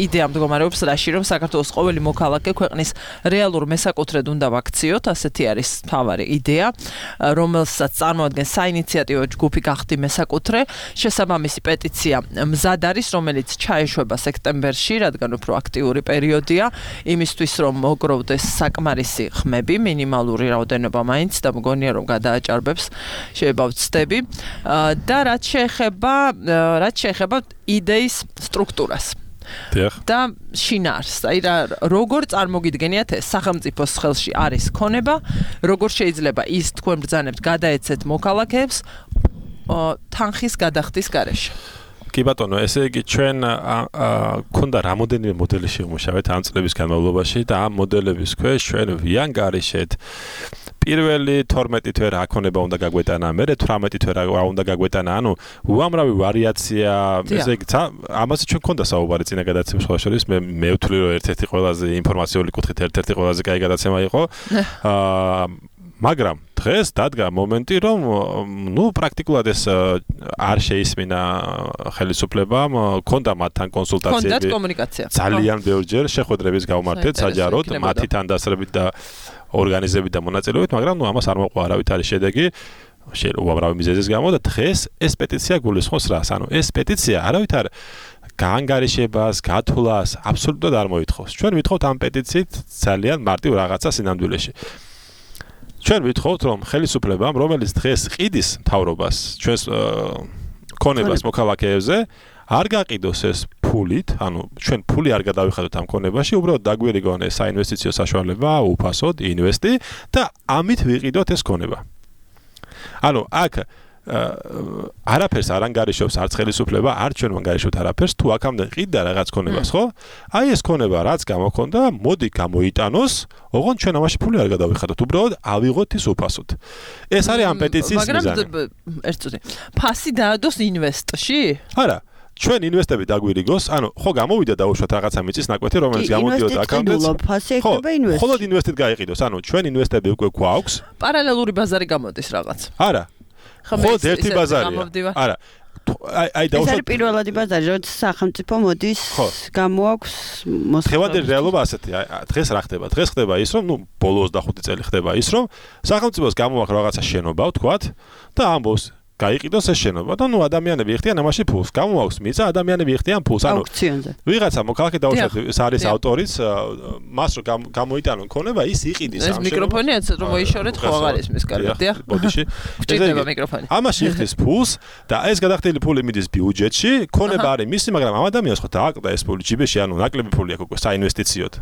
იდეა მდგომარეობს რაში, რომ საქართველოს ყოველი მოქალაქე ქვეყნის რეალურ მესაკუთრედ უნდა ვაქციოთ, ასეთი არის მთავარი იდეა, რომელსაც წარმოადგენს საინიციატივო ჯგუფი გახდი მესაკუთრე. შესაბამისი პეტიცია მზად არის, რომელიც ჩაეშვება სექტემბერში, რადგან უფრო აქტიური პერიოდია, იმისთვის რომ მოგროვდეს საკმარისი ხმები, მინიმალური რაოდენობა მაინც და მგონია რომ გადააჭარბებს, შეიძლება ვცდები. და რაც შეეხება იდეის სტრუქტურას. და შინაარს, აი როგორ წარმოგიდგენიათ ეს სახელმწიფოს ხელში არის ქონება, როგორ შეიძლება ის თქვენ ბრძანებთ გადაეცეთ მოქალაქეებს თანხის გადახდის გარეშე. კი ბატონო, ესე იგი ჩვენ ქონდა რამოდენიმე მოდელი შევმუშავეთ ამ წლების განმავლობაში და ამ მოდელების ქვეშ ჩვენ ვიანგარიშეთ პირველი 12 თვე რა ქონება უნდა გაგვეტანა, მერე 18 თვე რა უნდა გაგვეტანა, ანუ უამრავი ვარიაცია, ესე იგი ამაზე ჩვენ ქონდა საუბარი წინა გადაცემის სხვა შორის, მე ვთვლი რომ ერთ-ერთი ყველაზე ინფორმაციული კუთხით ერთ-ერთი ყველაზე კაი გადაცემა იყო. მაგრამ დღეს დადგა მომენტი, რომ პრაქტიკულად ეს არ შეისმინა ხელისუფლებამ, ქონდა მათთან კონსულტაციები. ქონდათ კომუნიკაცია. ძალიან ბევრჯერ შეხვედრების გავმართეთ საჯაროდ, მათი თანდასწრებით და ორგანიზებით და მონაწილეობით, მაგრამ ამას არ მოყვა არავითარი შედეგი. უამრავი მიზეზის გამო და დღეს ეს პეტიცია გულისხმობს რას? ანუ ეს პეტიცია არავითარ გაანგარიშებას, გათვლას აბსოლუტურად არ მოითხოვს. ჩვენ ვითხოვთ ამ პეტიციით ძალიან მარტივ რაღაცა სინამდვილეში. ჩვენ ვითხოვთ, რომ ხელისუფლებამ, რომელიც დღეს ყიდის მთავრობას, ჩვენს ქონებას მოქალაქეებზე, არ გაყიდოს ეს ფულით, ანუ ჩვენ ფული არ გადავიხადოთ ამ ქონებაში, უბრალოდ დაგვირიგონ ეს საინვესტიციო საშუალება, უფასოდ ინვესტი და ამით ვიყიდოთ ეს ქონება. ანუ აქ არაფერს არ ანგარიშობს არც ხელისუფლება, არც ჩვენ ვანგარიშობთ არაფერს, თუ აქამდე ყიდდა რაღაც ქონებას, ხო? აი ეს ქონება რაც გამოქონდა, მოდი გამოიტანოს, ოღონდ ჩვენ ამაში ფული არ გადავიხადოთ, უბრალოდ ავიღოთ ის უფასოდ. ეს არის ამ პეტიციის მიზანი. მაგრამ ერთ წუთი. ფასი დაადოს ინვესტში? არა. ჩვენ ინვესტები დაგვირიგოს, ანუ ხო გამოვიდა დაუშვათ რაღაცა მიწის ნაკვეთი, რომელიც გამოდიოდა აქამდეც. ხო, მხოლოდ ინვესტით გაიყიდოს, ანუ ჩვენ ინვესტები უკვე გვაქვს. პარალელური ბაზარი გამოდის რაღაც. არა. ხო, ერთი ბაზარია. არა. აი დაუშვათ. ეს არის პირველადი ბაზარი, როცა სახელმწიფო მოდის, გამოაქვს მოსახლეობა. ხევადი რეალობა ასეთია. დღეს რა ხდება? დღეს ხდება ის, რომ ბოლო 25 წელი ხდება ის, რომ სახელმწიფოს გამოაქვს რაღაცა შენობა, ვთქვათ, და ამბობს გაიყიდოს ეს შენობა და ადამიანები იხდიან ამაში ფულს. გამოაქვს მიწა, ადამიანები იხდიან ფულს. ანუ ვიღაცა მოქალაქე დაუშვათ, ეს არის ავტორიც, მას რომ გამოიტანონ ქონება, ის იყიდის ამ შენობას. ეს მიკროფონი ეცეთ რომ მოიშორეთ, ხო აღარ ისმის კარგად, დიახ. ბოდიში. ჭირდება მიკროფონი. ამაში იხდის ფულს და ეს გადახდილი ფული მიდის ბიუჯეტში, ქონება არის მისი, მაგრამ ამ ადამიანს ხო დააკლდა ეს ფული ჯიბეში, ანუ ნაკლები ფული აქვს უკვე საინვესტიციოდ.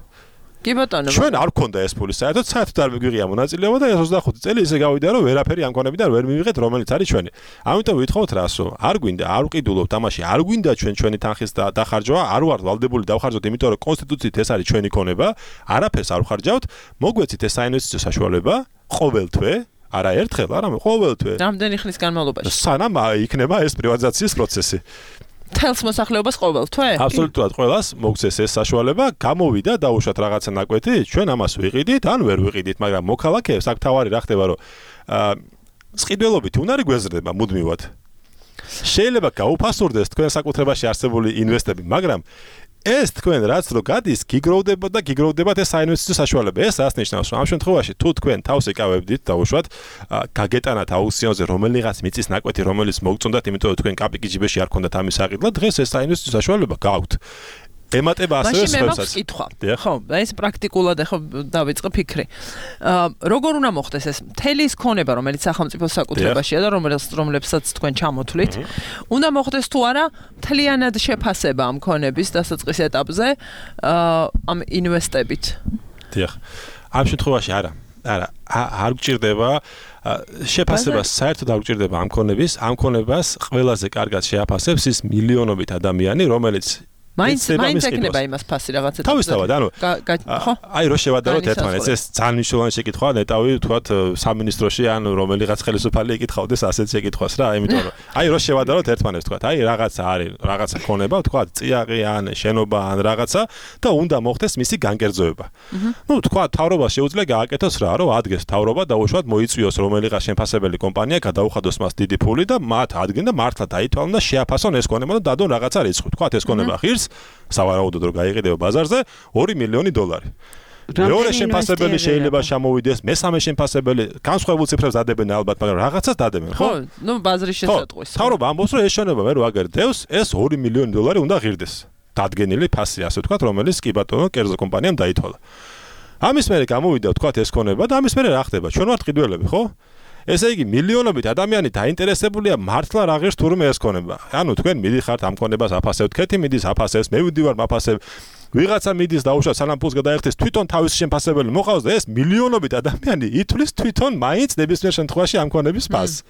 კი ბატონო. ჩვენ არ გქონდა ეს ფული საერთოდ არ მიგვიღია მონაწილეობა და 25 წელი ისე გავიდა რომ ვერაფერი ამ ქონებიდან ვერ მივიღეთ, რომელიც არის ჩვენი. ამიტომ ვითხოვთ რას, რომ არ გვინდა, არ ვყიდულობთ ამაში, არ გვინდა ჩვენი თანხის დახარჯვა, არ ვართ ვალდებული დავხარჯოთ, იმიტომ რომ კონსტიტუციით ეს არის ჩვენი ქონება, არაფერს არ ვხარჯავთ, მოგვეცით ეს საინვესტიციო საშუალება ყოველ თვე არა ერთხელ, არამედ ყოველთვე. რამდენი ხნის განმავლობაში? სანამ იქნება ეს პრივატიზაციის პროცესი. თელს მოსახლეობას ყოველთვე? აბსოლუტურად ყველას მოგცეს ეს საშუალება, გამოვიდა დაუშვათ რაღაცა ნაკვეთი, ჩვენ ამას ვიყიდით, ან ვერ ვიყიდით, მაგრამ მოქალაქეებს აქ თავარი რა ხდება, რომ სყიდველობით უნარი გვეზრდება მუდმივად. შეიძლება გაუფასურდეს თქვენ საკუთრებაში არსებული ინვესტები, მაგრამ ეს თქვენ რაც რო გადის, გიგროვდებათ ეს საინვესტიციო საშუალება. ეს რას ნიშნავს, რომ ამ შემთხვევაში თუ თქვენ თავს იკავებდით დაუშვათ, გაგეტანათ აუქციონზე რომელიღაც მიწის ნაკვეთი, რომელიც მოგწონდათ, იმიტომ რომ თქვენ კაპიკი ჯიბეში არ ქონდათ ამის საყიდლად, დღეს ეს საინვესტიციო საშუალება გაქვთ. ემატება ასევე სხვებსაც. ხო, ეს პრაქტიკულად ახლა დავიწყე ფიქრი. როგორ უნდა მოხდეს ეს მთელი ის ქონება, რომელიც სახელმწიფოს საკუთრებაშია და რომლებსაც თქვენ ჩამოთვლით, უნდა მოხდეს თუ არა მთლიანად შეფასება ამ ქონების დასაწყის ეტაპზე ამ ინვესტებით? დიახ. ამ შემთხვევაში არა. არ გჭირდება შეფასება საერთოდ არ გჭირდება ამ ქონების, ამ ქონებას ყველაზე კარგად შეაფასებს ის მილიონობით ადამიანი, რომელიც მაინც ეკნება იმას ფასი რაღაცა. თავისთავად, ანუ აი რო შევადაროთ ერთმანეთს, ეს ძალიან მნიშვნელოვანი შეკითხვაა, ნეტავი თქვათ სამინისტროში ან რომელიღაც ხელისუფალი ეკითხავდეს ასეთ შეკითხვას რა, იმიტომ რომ აი რო შევადაროთ ერთმანეთს თქვათ, აი რაღაცა არის, რაღაცა ქონება, თქვათ წიაღი ან შენობა ან რაღაცა და უნდა მოხდეს მისი განკერძოება. ნუ თქვათ თავრობას შეუძლია გააკეთოს რა, რომ ადგენს თავრობა და უშუალოდ მოიწვიოს რომელიღაც შემფასებელი კომპანია, გადაუხადოს მას დიდი ფული და მათ ადგენს და მართლა დაითვალონ და შეაფასონ ეს ქონება და დადონ რაღაცა რიცხვი. თქვათ ეს ქონება ღირს სავარაუდოდ რომ გაიყიდება ბაზარზე 2 მილიონი დოლარი. მეორე შემფასებელი შეიძლება ჩამოვიდეს, მესამე შემფასებელი განსხვავებულ ციფრებს დადებენ ალბათ, მაგრამ რაღაცას დადებენ, ხო? ნუ ბაზრის შესატყვის. თავრობა ამბობს რომ ეს შენობა მე რო აგერდევს, ეს 2 მილიონი დოლარი უნდა ღირდეს. დადგენილი ფასი, ასე ვთქვათ, რომელიც კი ბატონო კერძო კომპანიამ დაითვალა. ამის მერე გამოვიდა ვთქვათ ეს ქონება და ამის მერე რა ხდება? ჩვენ ვართ ყიდველები, ხო? ესე იგი მილიონობით ადამიანი დაინტერესებულია მართლა რა ღირს თურმე ეს ქონება. ანუ თქვენ მიდიხართ ამ ქონებას აფასებთ, ქეთი მიდის აფასებს, მე ვიდივარ მაფასებ. ვიღაცა მიდის დაუშვათ სანამ ფულს გადაერთეს, თვითონ თავის შემფასებელი მოყავს და ეს მილიონობით ადამიანი ითვლის თვითონ მაინც ნებისმიერ შემთხვევაში ამ ქონების ფასს.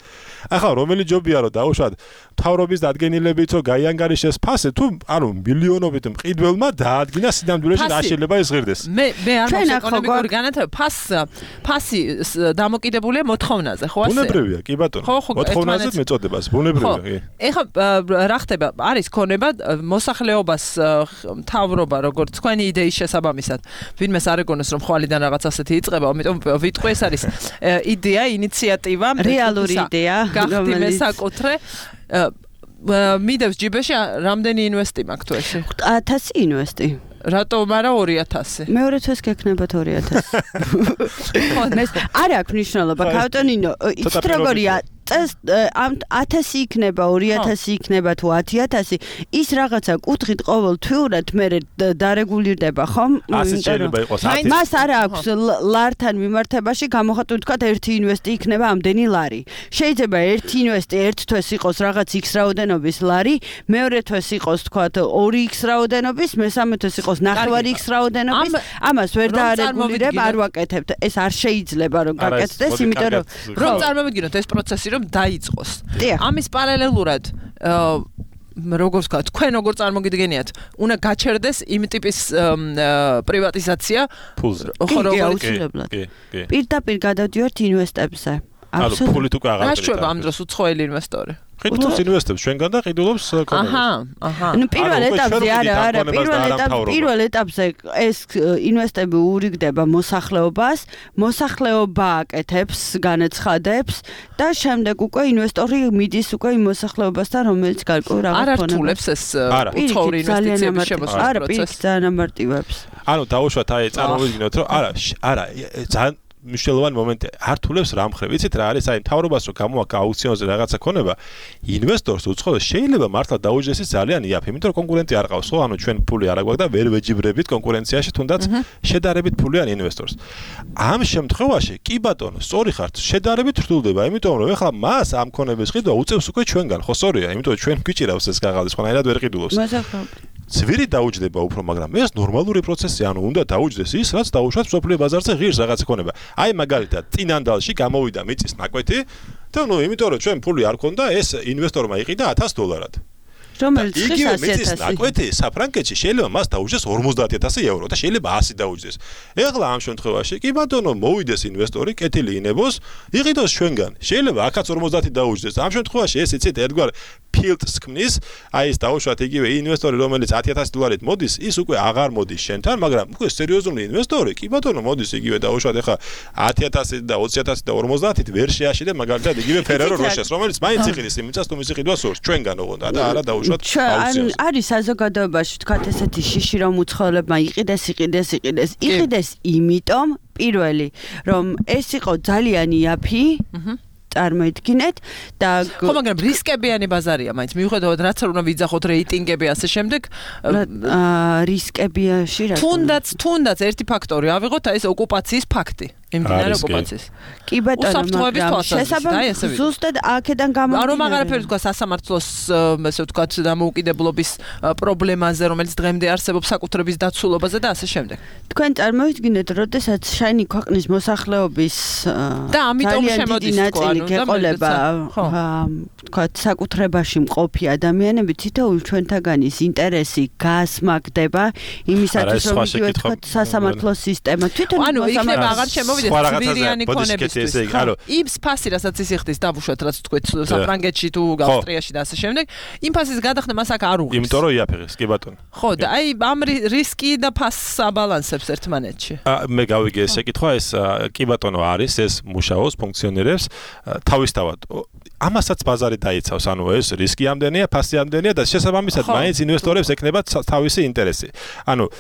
ახლა რომელი ჯობია რომ დაუშვათ თავრობის დადგენილებით რომ გაიანგარიშეს ფასი, თუ ანუ მილიონობით მყიდველმა დაადგინა სინამდვილეში რა შეიძლება ის ღირდეს. მე არ მაქვს ეკონომიკური განათლება, ფასი დამოკიდებულია მოთხოვნაზე, ხო ასე? ბუნებრივია, კი ბატონო. მოთხოვნაზე მეწოდებას, ბუნებრივია, კი. ეხლა რა ხდება? არის ქონება მოსახლეობას თავრობა როგორც თქვენი იდეის შესაბამისად, ვინმეს არ ეგონოს რომ ხვალიდან რაღაც ასეთი იწყება, ამიტომ ვიტყვი ეს არის იდეა, ინიციატივა, რეალური იდეა, გახდი მესაკუთრე. მიდევს ჯიბეში რამდენი ინვესტი მაქვს თუ ესე? 1000 ინვესტი. რატომ არა 2000? მეორე თვეს გექნება 2000. არ აქვს მნიშვნელობა, ქავტონინო, იცით როგორია? ამ 1000 იქნება, 2000 იქნება თუ 10000, ის რაღაცა კუთხით ყოველთვიურად მე დარეგულირდება, ხომ? მას არ აქვს ლართან მიმართებაში გამოხატული თქვათ ერთი ინვესტი იქნება ამდენი ლარი. შეიძლება ერთი ინვესტი ერთ თვეს იყოს რაღაც X რაოდენობის ლარი, მეორე თვეს იყოს თქვათ 2X რაოდენობის, მესამე თვეს იყოს 9 X რაოდენობის. ამას ვერ დაარეგულირებ, არ ვაკეთებთ. ეს არ შეიძლება რომ გაკეთდეს, იმიტომ რომ წარმოვიდგინოთ ეს პროცესი რომ დაიწყოს. ამის პარალელურად როგორც ვთქვა, თქვენ როგორ წარმოგიდგენიათ, უნდა გაჩერდეს იმ ტიპის პრივატიზაცია ფულზე. პირდაპირ გადავდივართ ინვესტებზე. ანუ ფულით უკვე აღარ გაშვება ამ დროს უცხოელი ინვესტორი. ყიდულობს ინვესტებს ჩვენგან და ყიდულობს ქონებას. ნუ პირველ ეტაპზე არა, პირველ ეტაპზე ეს ინვესტები ურიგდება მოსახლეობას, მოსახლეობა აკეთებს, განაცხადებს და შემდეგ უკვე ინვესტორი მიდის უკვე იმ მოსახლეობასთან, რომელიც გარკვეულ რაღაც არ ართულებს ეს უცხოური ინვესტიციების შემოსვლის არა, პირიქით ძალიან ამარტივებს. ანუ დაუშვათ აი წარმოვიდგინოთ რომ არა, ძალიან მნიშვნელოვანი მომენტი ართულებს რა მხრივ. იცით რა არის? აი მთავრობას რო გამოაქვს აუქციონზე რაღაცა ქონება, ინვესტორს უცხოეს შეიძლება მართლა დაუჯდეს ძალიან იაფი, იმიტომ რომ კონკურენტი არ ყავს, ხო? ანუ ჩვენ ფული არ აგვაქვს და ვერ ვეჯიბრებით კონკურენციაში, თუნდაც შედარებით ფულიან ინვესტორს. ამ შემთხვევაში კი ბატონო, სწორი ხართ, შედარებით რთულდება, იმიტომ რომ ეხლა მას ამ ქონების ყიდვა უწევს უკვე ჩვენგან, ხო სწორია? იმიტომ რომ ჩვენ გვიჭირავს ეს კაღალდი, სხვანაირად ვერ ყიდულობს. ძვირი დაუჯდება უფრო, მაგრამ ეს ნორმალური პროცესია, ანუ უნდა დაუჯდეს ის, რაც დაუშვათ მსოფლიო ბაზარზე ღირს რაღაცა ქონება. აი მაგალითად, წინანდალში გამოვიდა მიწის ნაკვეთი და ნუ იმიტომ რომ ჩვენ ფული არ ქონდა, ეს ინვესტორმა იყიდა $1000. რომელიც იგივე მიწის ნაკვეთი საფრანგეთში შეიძლება მას დაუჯდეს 50,000 евро და შეიძლება 100 დაუჯდეს. ეხლა ამ შემთხვევაში კი ბატონო მოვიდეს ინვესტორი, კეთილი ინებოს, იყიდოს ჩვენგან. შეიძლება აქაც 50 დაუჯდეს. ამ შემთხვევაში ეს იცით ერთგვარ ფილტს ქმნის, აი ეს დაუშვათ იგივე ინვესტორი, რომელიც 10,000 დოლარით მოდის, ის უკვე აღარ მოდის შენთან, მაგრამ უკვე სერიოზული ინვესტორი, კი ბატონო მოდის იგივე დაუშვათ ეხლა 10,000 და 20,000 და 50-ით ვერ შეაშიდე მაგალითად იგივე Ferrero Rocher-ს, რომელიც მაინც იყიდის იმიცას თუ მისი ყიდვა სურს ჩვენგან ოღონდ და არა დაუშვათ აუქციონს. არის საზოგადოებაში თქვათ ესეთი შიში რომ უცხოელებმა იყიდეს იმიტომ პირველი რომ ეს იყო ძალიან იაფი წარმოიდგინეთ და ხო მაგრამ რისკებიანი ბაზარია მაინც მიუხედავად რაც არ უნდა ვიძახოთ რეიტინგები ასე შემდეგ რისკებიაში რა თუნდაც ერთი ფაქტორი ავიღოთ აი ეს ოკუპაციის ფაქტი იმდენად ოკუპაციის კი ბატონო მაგრამ შესაბამისად ზუსტად აქედან გამომდინარე რომ აღარაფერი თქვა სასამართლოს ესე ვთქვათ დამოუკიდებლობის პრობლემაზე რომელიც დღემდე არსებობს საკუთრების დაცულობაზე და ასე შემდეგ თქვენ წარმოიდგინეთ როდესაც შენი ქვეყნის მოსახლეობის და ამიტომ შემოდის თქვა გეყოლება ვთქვათ საკუთრებაში მყოფი ადამიანები თითოეულ ჩვენთაგანის ინტერესი გასმაგდება იმისათვის რომ იგივე თქვათ სასამართლო სისტემა თვითონ ანუ იქნება აღარ შემოვიდეს ძვირიანი ქონებისთვის იმს ფასი რასაც ის იხდის დავუშვათ რაც თქვით საფრანგეთში თუ ავსტრიაში და ასე შემდეგ იმ ფასის გადახდა მას აქ არ უღებს იმიტომ რომ იაფიღეს კი ბატონო ხო და აი ამ რისკი და ფასს აბალანსებს ერთმანეთში მე გავიგე ეს შეკითხვა ეს კი ბატონო არის ეს მუშაობს ფუნქციონირებს თავისთავად ამასაც ბაზარი დაიცავს ანუ ეს რისკი ამდენია ფასი ამდენია და შესაბამისად მაინც ინვესტორებს ექნება თავისი ინტერესი ანუ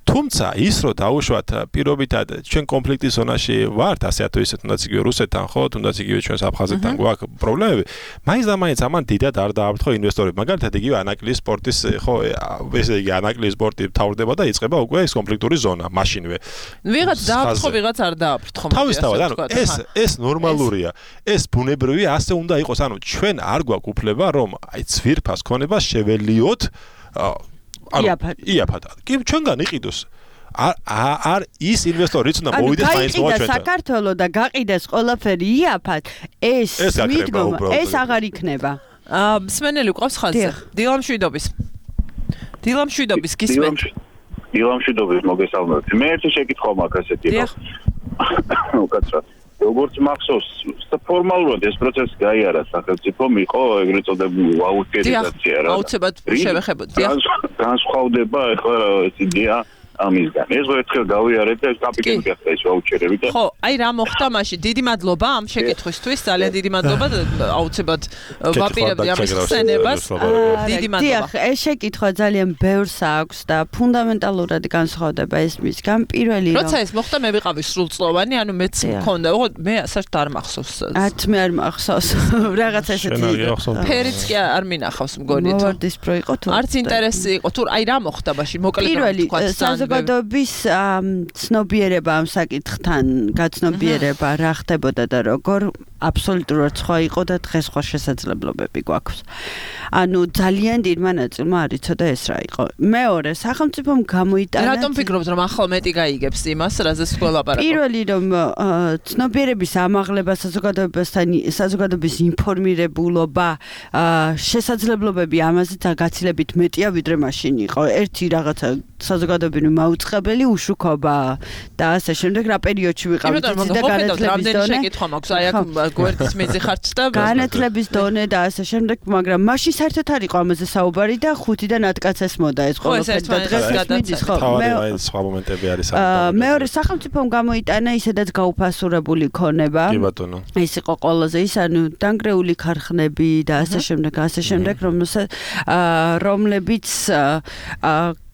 თუმცა ის რომ დაუშვათ პირობითად ჩვენ კონფლიქტის ზონაში ვართ ასე თუ ისე თუნდაც იგივე რუსეთთან ხო თუნდაც იგივე ჩვენს აფხაზეთთან გვაქვს პრობლემები მაინც და მაინც ამან დიდად არ დააფრთხო ინვესტორები მაგალითად იგივე ანაკლის სპორტის ხო ესე იგი ანაკლის სპორტი თავდება და იწყება უკვე ეს კონფლიქტური ზონა მაშინვე ვიღაც დააფრთხო ვიღაც არ დააფრთხო თავისთავად ანუ ეს ნორმალურია ეს ბუნებრივია ასე უნდა იყოს ანუ ჩვენ არ გვაქვს უფლება რომ აი ძვირფას ქონებას შეველიოთ იაფად. კი ჩვენგან იყიდოს. არ ის ინვესტორიც უნდა მოვიდეს მაინც ჩვენთან. საქართველოს და გაყიდეს ყველაფერი იაფად. ეს მიდგომა ეს აღარ იქნება. მსმენელი ყავს ხაზზე. დილამშვიდობის გისმენთ. დილამშვიდობის მოგესალმებით. მე ერთი შეკითხვა მაქვს ასეთი რომ უკაცრავ როგორც მახსოვს ფორმალურად ეს პროცესი გაიარა სახელმწიფომ იყო ეგრეთ წოდებული ვაუჩერიზაცია რა აუცილებლად შევეხებოდი განსხვავდება ახლა ეს იდეა ამისგან ეს ერთხელ გავიარეთ და კაპიტალური ახლა ეს ვაუჩერები და ხო აი რა მოხდა მაშინ დიდი მადლობა ამ შეკითხვისთვის ძალიან დიდი მადლობა აუცილებლად ვაპირებდი ამის ხსენებას დიდი მადლობა დიახ ეს შეკითხვა ძალიან ბევრს აქვს და ფუნდამენტალურად განსხვავდება ეს მისგან პირველი რომ როცა ეს მოხდა მე ვიყავი სრულწლოვანი ანუ მეც მქონდა მე საერთოდ არ მახსოვს არც მე არ მახსოვს რაღაც ესეთი ფერიც კი არ მინახავს მგონი თუ მოვარდის პრო იყო თუ არც ინტერესი იყო თუ აი რა მოხდა მაშინ მოკლედ თქვა საზოგადოების ცნობიერება ამ საკითხთან გაცნობიერება რა ხდებოდა და როგორ აბსოლუტურად სხვა იყო და დღეს სხვა შესაძლებლობები გვაქვს. ანუ ძალიან დიდმა ნაწილმა არ იცოდა ეს რა იყო. მეორე, სახელმწიფომ გამოიტანა რატომ ფიქრობთ რომ ახლა მეტი გაიგებს იმას, რაზეც გველაპარაკობ? პირველი რომ ცნობიერების ამაღლება საზოგადოების ინფორმირებულობა, შესაძლებლობები ამაზე გაცილებით მეტია ვიდრე მაშინ იყო. ერთი რაღაცა საზოგადოებრივი მაუწყებელი უშუქობა და ასე შემდეგ რა პერიოდში ვიყავით და განათლების დონე შეკითხვა მაქვს აი აქ გვერდის მეძახარც და განათლების დონე და ასე შემდეგ მაგრამ მაშინ საერთოდ არ იყო ამაზე საუბარი და 5-დან 10 კაცს მოდა ეს ყველაფერი და დღეს მიდის ხო მე სხვა მომენტები არის მეორე სახელმწიფომ გამოიტანა ისედაც გაუფასურებული ქონება კი ბატონო ეს იყო ყველაზე ის ანუ დანგრეული ქარხნები და ასე შემდეგ რომლებიც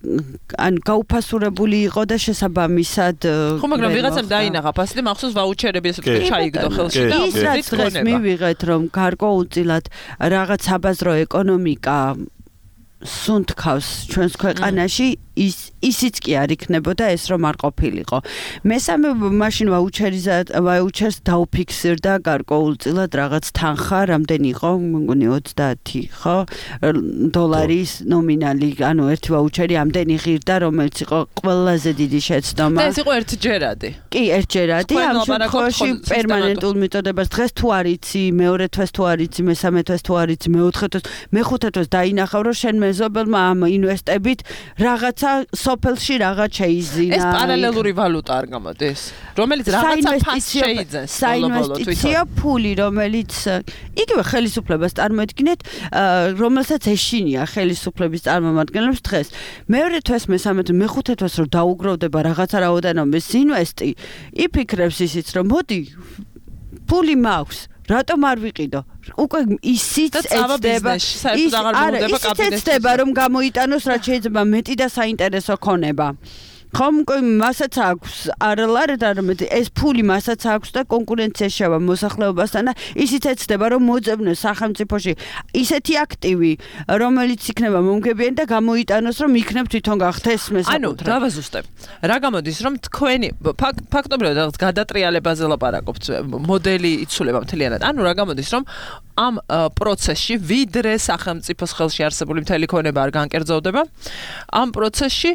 ან გაუფასურებული იყო და შესაბამისად ხო მაგრამ ვიღაცამ დაინახა ფასი და მახსოვს ვაუჩერები ესე ვთქვი ჩაიგდო ხელში და ის დღეს მივიღეთ რომ გარკვეულწილად რაღაც საბაზრო ეკონომიკა სუნთქავს ჩვენს ქვეყანაში ისიც კი არ იქნებოდა ეს რომ არ ყოფილიყო. მესამე მაშინ ვაუჩერს დაუფიქსირდა გარკვეულწილად რაღაც თანხა, რამდენი იყო, მგონი 30, ხო? დოლარის ნომინალი, ანუ ერთი ვაუჩერი ამდენი ღირდა, რომელიც იყო ყველაზე დიდი შეცდომა. და ეს იყო ერთჯერადი. კი, ერთჯერადი, ამ შემთხვევაში პერმანენტულ მიწოდებას დღეს თუ არ იცი, მეორე თვეს თუ არ იცი, მესამე თვეს თუ არ იცი, მეოთხე თვეს, მეხუთე თვეს დაინახავ, რომ შენ მეზობელმა ამ ინვესტებით რაღაცა სოფელში რაღაც შეიზინა. ეს პარალელური ვალუტა არ გამოდის, რომელიც რაღაცა ფასს შეიძენს. საინვესტიციო ფული, რომელიც იგივე ხელისუფლებას წარმოედგინეთ, რომელსაც ეშინია ხელისუფლების წარმომადგენლებს დღეს. მეორე თვეს, მესამე თვეს, მეხუთე თვეს რომ დაუგროვდება რაღაცა რაოდენობის ინვესტი, იფიქრებს ისიც რომ მოდი ფული მაქვს რატომ არ ვიყიდო? უკვე ისიც ეცდება, ეცდება რომ გამოიტანოს რაც შეიძლება მეტი და საინტერესო ქონება. ხომ მასაც აქვს არალარეთ არამედ ეს ფული მასაც აქვს და კონკურენციაში შევა მოსახლეობასთან და ისიც ეცდება რომ მოძებნოს სახელმწიფოში ისეთი აქტივი რომელიც იქნება მომგებიანი და გამოიტანოს რომ იქნებ თვითონ გახდეს მესაკუთრე. ანუ დავაზუსტებ. რა გამოდის რომ თქვენი ფაქტობრივად რაღაც გადატრიალებაზე ლაპარაკობთ, მოდელი იცვლება მთლიანად. ანუ რა გამოდის რომ ამ პროცესში ვიდრე სახელმწიფოს ხელში არსებული მთელი ქონება არ განკერძოვდება, ამ პროცესში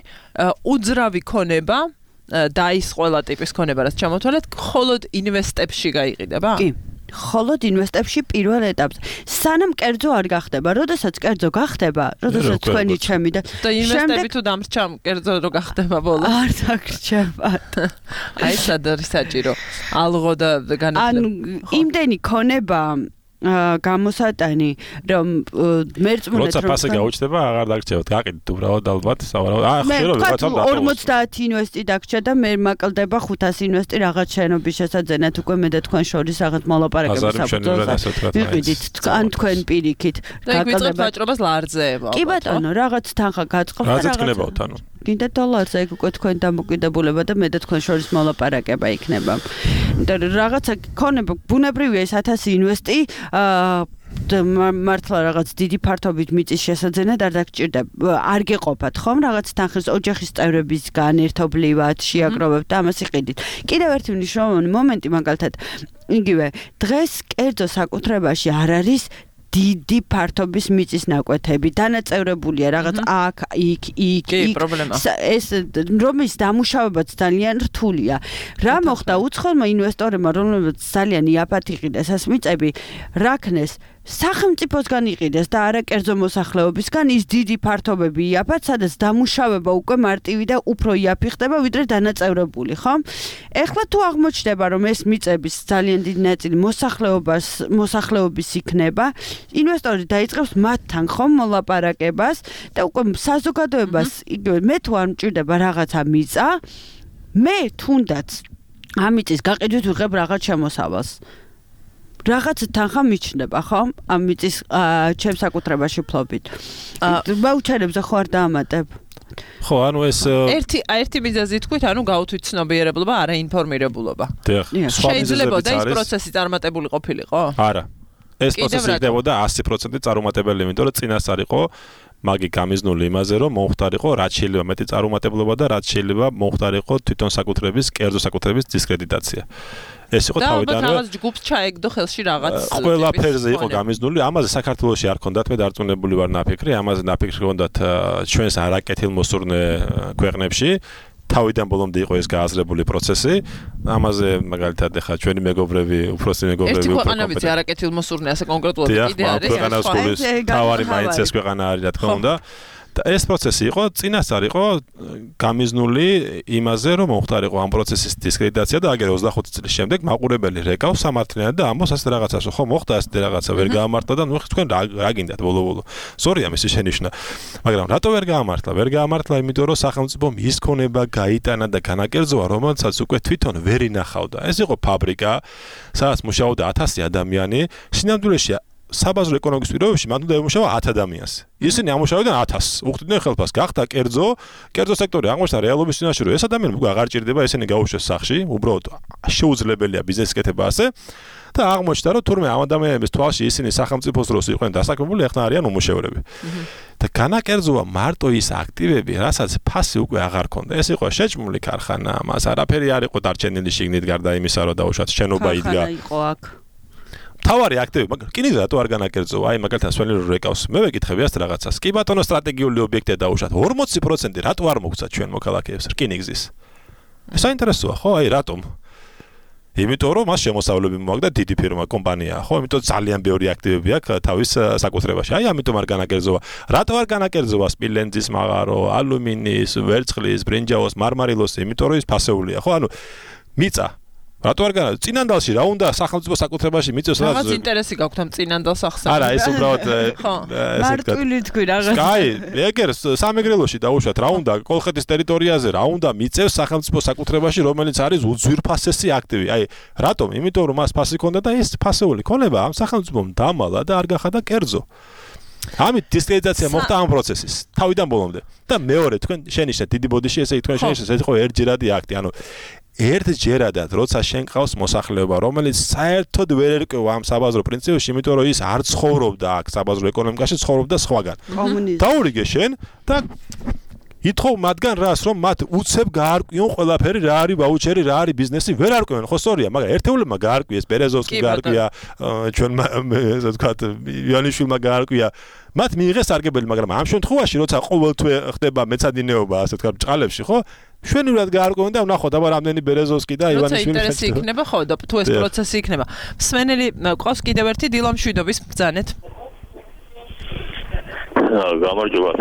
უძრავი ქონება და ის ყველა ტიპის ქონება რაც ჩამოთვალეთ, მხოლოდ ინვესტებში გაიყიდება? კი. მხოლოდ ინვესტებში პირველ ეტაპზე. სანამ კერძო არ გახდება, როდესაც კერძო გახდება, როდესაც თქვენი ჩემი და ინვესტები თუ დამრჩა კერძო რო გახდება ბოლოს. არ დაგრჩებათ. აი სად არის საჭირო? ალღო და განათლება. ანუ იმდენი ქონება გამოსატანი რომ მერწმუნეთ როცა ფასი გაუჩნდება აღარ დაგრჩევთ გაყიდით უბრალოდ ალბათ სავარაუდოდ ხშირად რაღაცა 50 ინვესტი დაგრჩა და მე მაკლდება 500 ინვესტი რაღაც შენობის შესაძენად უკვე მე და თქვენ შორის რაღაც მოლაპარაკების საფუძველზე ვიყიდით ან თქვენ პირიქით გაკლდება ვაჭრობას ლარძეება კი ბატონო რაღაც თანხა გაწყობ და რაღაც გქნებავთ ანუ კიდე დოლარზე ეგ უკვე თქვენ დამოკიდებულება და მე და თქვენ შორის მოლაპარაკება იქნება. და რაღაცა ქონება ბუნებრივია ეს 1000 ინვესტი მართლა რაღაც დიდი ფართობით მიწის შესაძენად არ დაგჭირდება. არ გეყოფათ ხომ რაღაც თანხის ოჯახის წევრებისგან ერთობლივად შეაგროვებთ და ამას იყიდით. კიდევ ერთი მნიშვნელოვანი მომენტი მაგალითად იგივე დღეს კერძო საკუთრებაში არ არის დიდი ფართობის მიწის ნაკვეთები დანაწევრებულია რაღაც აქ იქ ეს რომის დამუშავებაც ძალიან რთულია. რა მოხდა უცხოელმა ინვესტორებმა რომლებიც ძალიან იაფად იყიდეს ეს მიწები რაკნეს სახელმწიფოსგან იყიდეს და არა კერძო მოსახლეობისგან ის დიდი ფართობები იაფად სადაც დამუშავება უკვე მარტივი და უფრო იაფი ხდება ვიდრე დანაწევრებული ხო? ეხლა თუ აღმოჩნდება რომ ეს მიწების ძალიან დიდი ნაწილი მოსახლეობის იქნება ინვესტორი დაიწყებს მათთან ხომ მოლაპარაკებას და უკვე საზოგადოებას იგივე მე თუ არ მჭირდება რაღაცა მიწა მე თუნდაც ამიწის გაყიდვით ვიღებ რაღაც შემოსავალს რაღაც თანხა მიჩნდება ხო ამ მიწის ჩემს საკუთრებაში ფლობით ვაუჩერებზე ხო არ დაამატებ ხო ანუ ეს ერთი მიზეზი თქვით ანუ გაუთვით ცნობიერებლობა არა ინფორმირებულობა შეიძლება და ის პროცესი წარმატებული ყოფილიყო არა ეს პროცესი იქნებოდა 100% წარუმატებელი იმიტომ რომ წინას არ იყო მაგი გამიზნული იმაზე რომ მომხდარიყო რაც შეიძლება მეტი წარუმატებლობა და რაც შეიძლება მომხდარიყო თვითონ საკუთრების კერძო საკუთრების დისკრედიტაცია ეს იყო თავიდანვე და რაღაც ჯგუფს ჩაეგდო ხელში რაღაც ყველაფერზე იყო გამიზნული ამაზე საქართველოში არ ქონდათ მე დარწმუნებული ვარ ნაფიქრი ამაზე ნაფიქრი ქონდათ ჩვენს არაკეთილმოსურნე ქვეყნებში თავიდან ბოლომდე იყო ეს გააზრებული პროცესი ამაზე მაგალითად ახლა ჩვენი მეგობრები უფროსი მეგობრები ერთი ქვეყანებიც არაკეთილმოსურნე ასე კონკრეტულად კიდე არის ქვეყანას სკოლის თავარი მაინც ეს ქვეყანა არის რა თქმა უნდა და ეს პროცესი იყო წინასწარ იყო გამიზნული იმაზე რომ მომხდარიყო ამ პროცესის დისკრედიტაცია და აგერ 25 წლის შემდეგ მაყურებელი რეკავს სამართლიანად და ამბობს ასე რაღაცას ხო მოხდა ასე რაღაცა ვერ გაამართლა და ნუ თქვენ რა გინდათ ბოლო სორია მისი შენიშვნა მაგრამ რატო ვერ გაამართლა იმიტომ რომ სახელმწიფომ ის ქონება გაიტანა და განაკერძოა რომელსაც უკვე თვითონ ვერ ინახავდა ეს იყო ფაბრიკა სადაც მუშაობდა 1000 ადამიანი სინამდვილეში საბაზრო ეკონომიკის პირობებში მან უნდა ემუშავა 10 ადამიანს. ისინი ამუშავებდნენ 1000, უხდიდნენ ხელფას, გახდა კერძო სექტორი აღმოჩნდა რეალობის წინაშე, რომ ეს ადამიანები უკვე აღარ ჭირდება, ესენი გაუშვეს სახში, უბრალოდ შეუძლებელია ბიზნესის კეთება ასე და აღმოჩნდა, რომ თურმე ამ ადამიანების თვალში ისინი სახელმწიფოს დროს იყვნენ დასაქმებული, ახლა არიან უმუშევრები. და განაკერძოა მარტო ის აქტივები, რასაც ფასი უკვე აღარ ქონდა. ეს იყო შეჭმული ქარხანა, მას არაფერი არ იყო დარჩენილი შიგნით გარდა იმისა, რომ დაუშვათ შენობა იდგა. ქარხანა იყო აქ. თავარი აქტივები, მაგრამ რკინიგზა რატო არ განაკერძოა? აი მაგალითად სველი რო რეკავს. მე ვეკითხები ასეთ რაღაცას. კი ბატონო, სტრატეგიული ობიექტია დაუშვათ. 40% რატო არ მოგცა ჩვენ მოქალაქეებს რკინიგზის? საინტერესოა, ხო? აი რატომ? იმიტომ რომ მას შემოსავლები მოაქვს და დიდი ფირმა კომპანიაა, ხო? იმიტომ ძალიან ბევრი აქტივები აქვს თავის საკუთრებაში. აი ამიტომ არ განაკერძოა. რატო არ განაკერძოა სპილენძის მაღარო, ალუმინის, ვერცხლის, ბრინჯაოს, მარმარილოს, იმიტომ რომ ის ფასეულია, ხო? ანუ მიწა რატო არ განა წინანდალში რა უნდა სახელმწიფო საკუთრებაში მიწევს რაღაც ინტერესი გაქვთ ამ წინანდალს ახსენებთ არა ეს უბრალოდ მარტივი თქვი რაღაც კაი ეგერ სამეგრელოში დაუშვათ რა უნდა კოლხეთის ტერიტორიაზე რა უნდა მიწევს სახელმწიფო საკუთრებაში რომელიც არის უძვირფასესი აქტივი აი რატომ იმიტომ რომ მას ფასი ქონდა და ეს ფასეული ქონება ამ სახელმწიფომ დამალა და არ გახადა კერძო ამით დისკრედიტაცია მოხდა ამ პროცესის თავიდან ბოლომდე და მეორე თქვენ შენიშნეთ დიდი ბოდიში ესე თქვენ შენიშნეთ ეს იყო ერთჯერადი აქტი ანუ ერთჯერადად როცა შენ ყავს მოსახლეობა რომელიც საერთოდ ვერ ერკვევა ამ საბაზრო პრინციპებში იმიტომ რომ ის არ ცხოვრობდა აქ საბაზრო ეკონომიკაში ცხოვრობდა სხვაგან დაურიგე შენ და ითხოვ მათგან რას რომ მათ უცებ გაარკვიონ ყველაფერი რა არის ვაუჩერი რა არის ბიზნესი ვერ არკვევენ ხო სწორია მაგრამ ერთეულებმა გაარკვიეს ბერეზოვსკი გაარკვია ჩვენმა ესე ვთქვათ იანიშვილმა გაარკვია მათ მიიღეს სარგებელი მაგრამ ამ შემთხვევაში როცა ყოველთვე ხდება მეცადინეობა ასე ვთქვათ ბჭყალებში ხო შვენივრად გაარკვევენ და ვნახოთ აბა რამდენი ბერეზოვსკი და ივანიშვილი ინტერესი იქნება ხო და თუ ეს პროცესი იქნება მსმენელი ყავს კიდევ ერთი დილამ შვიდობის ბრძანეთ გამარჯობა.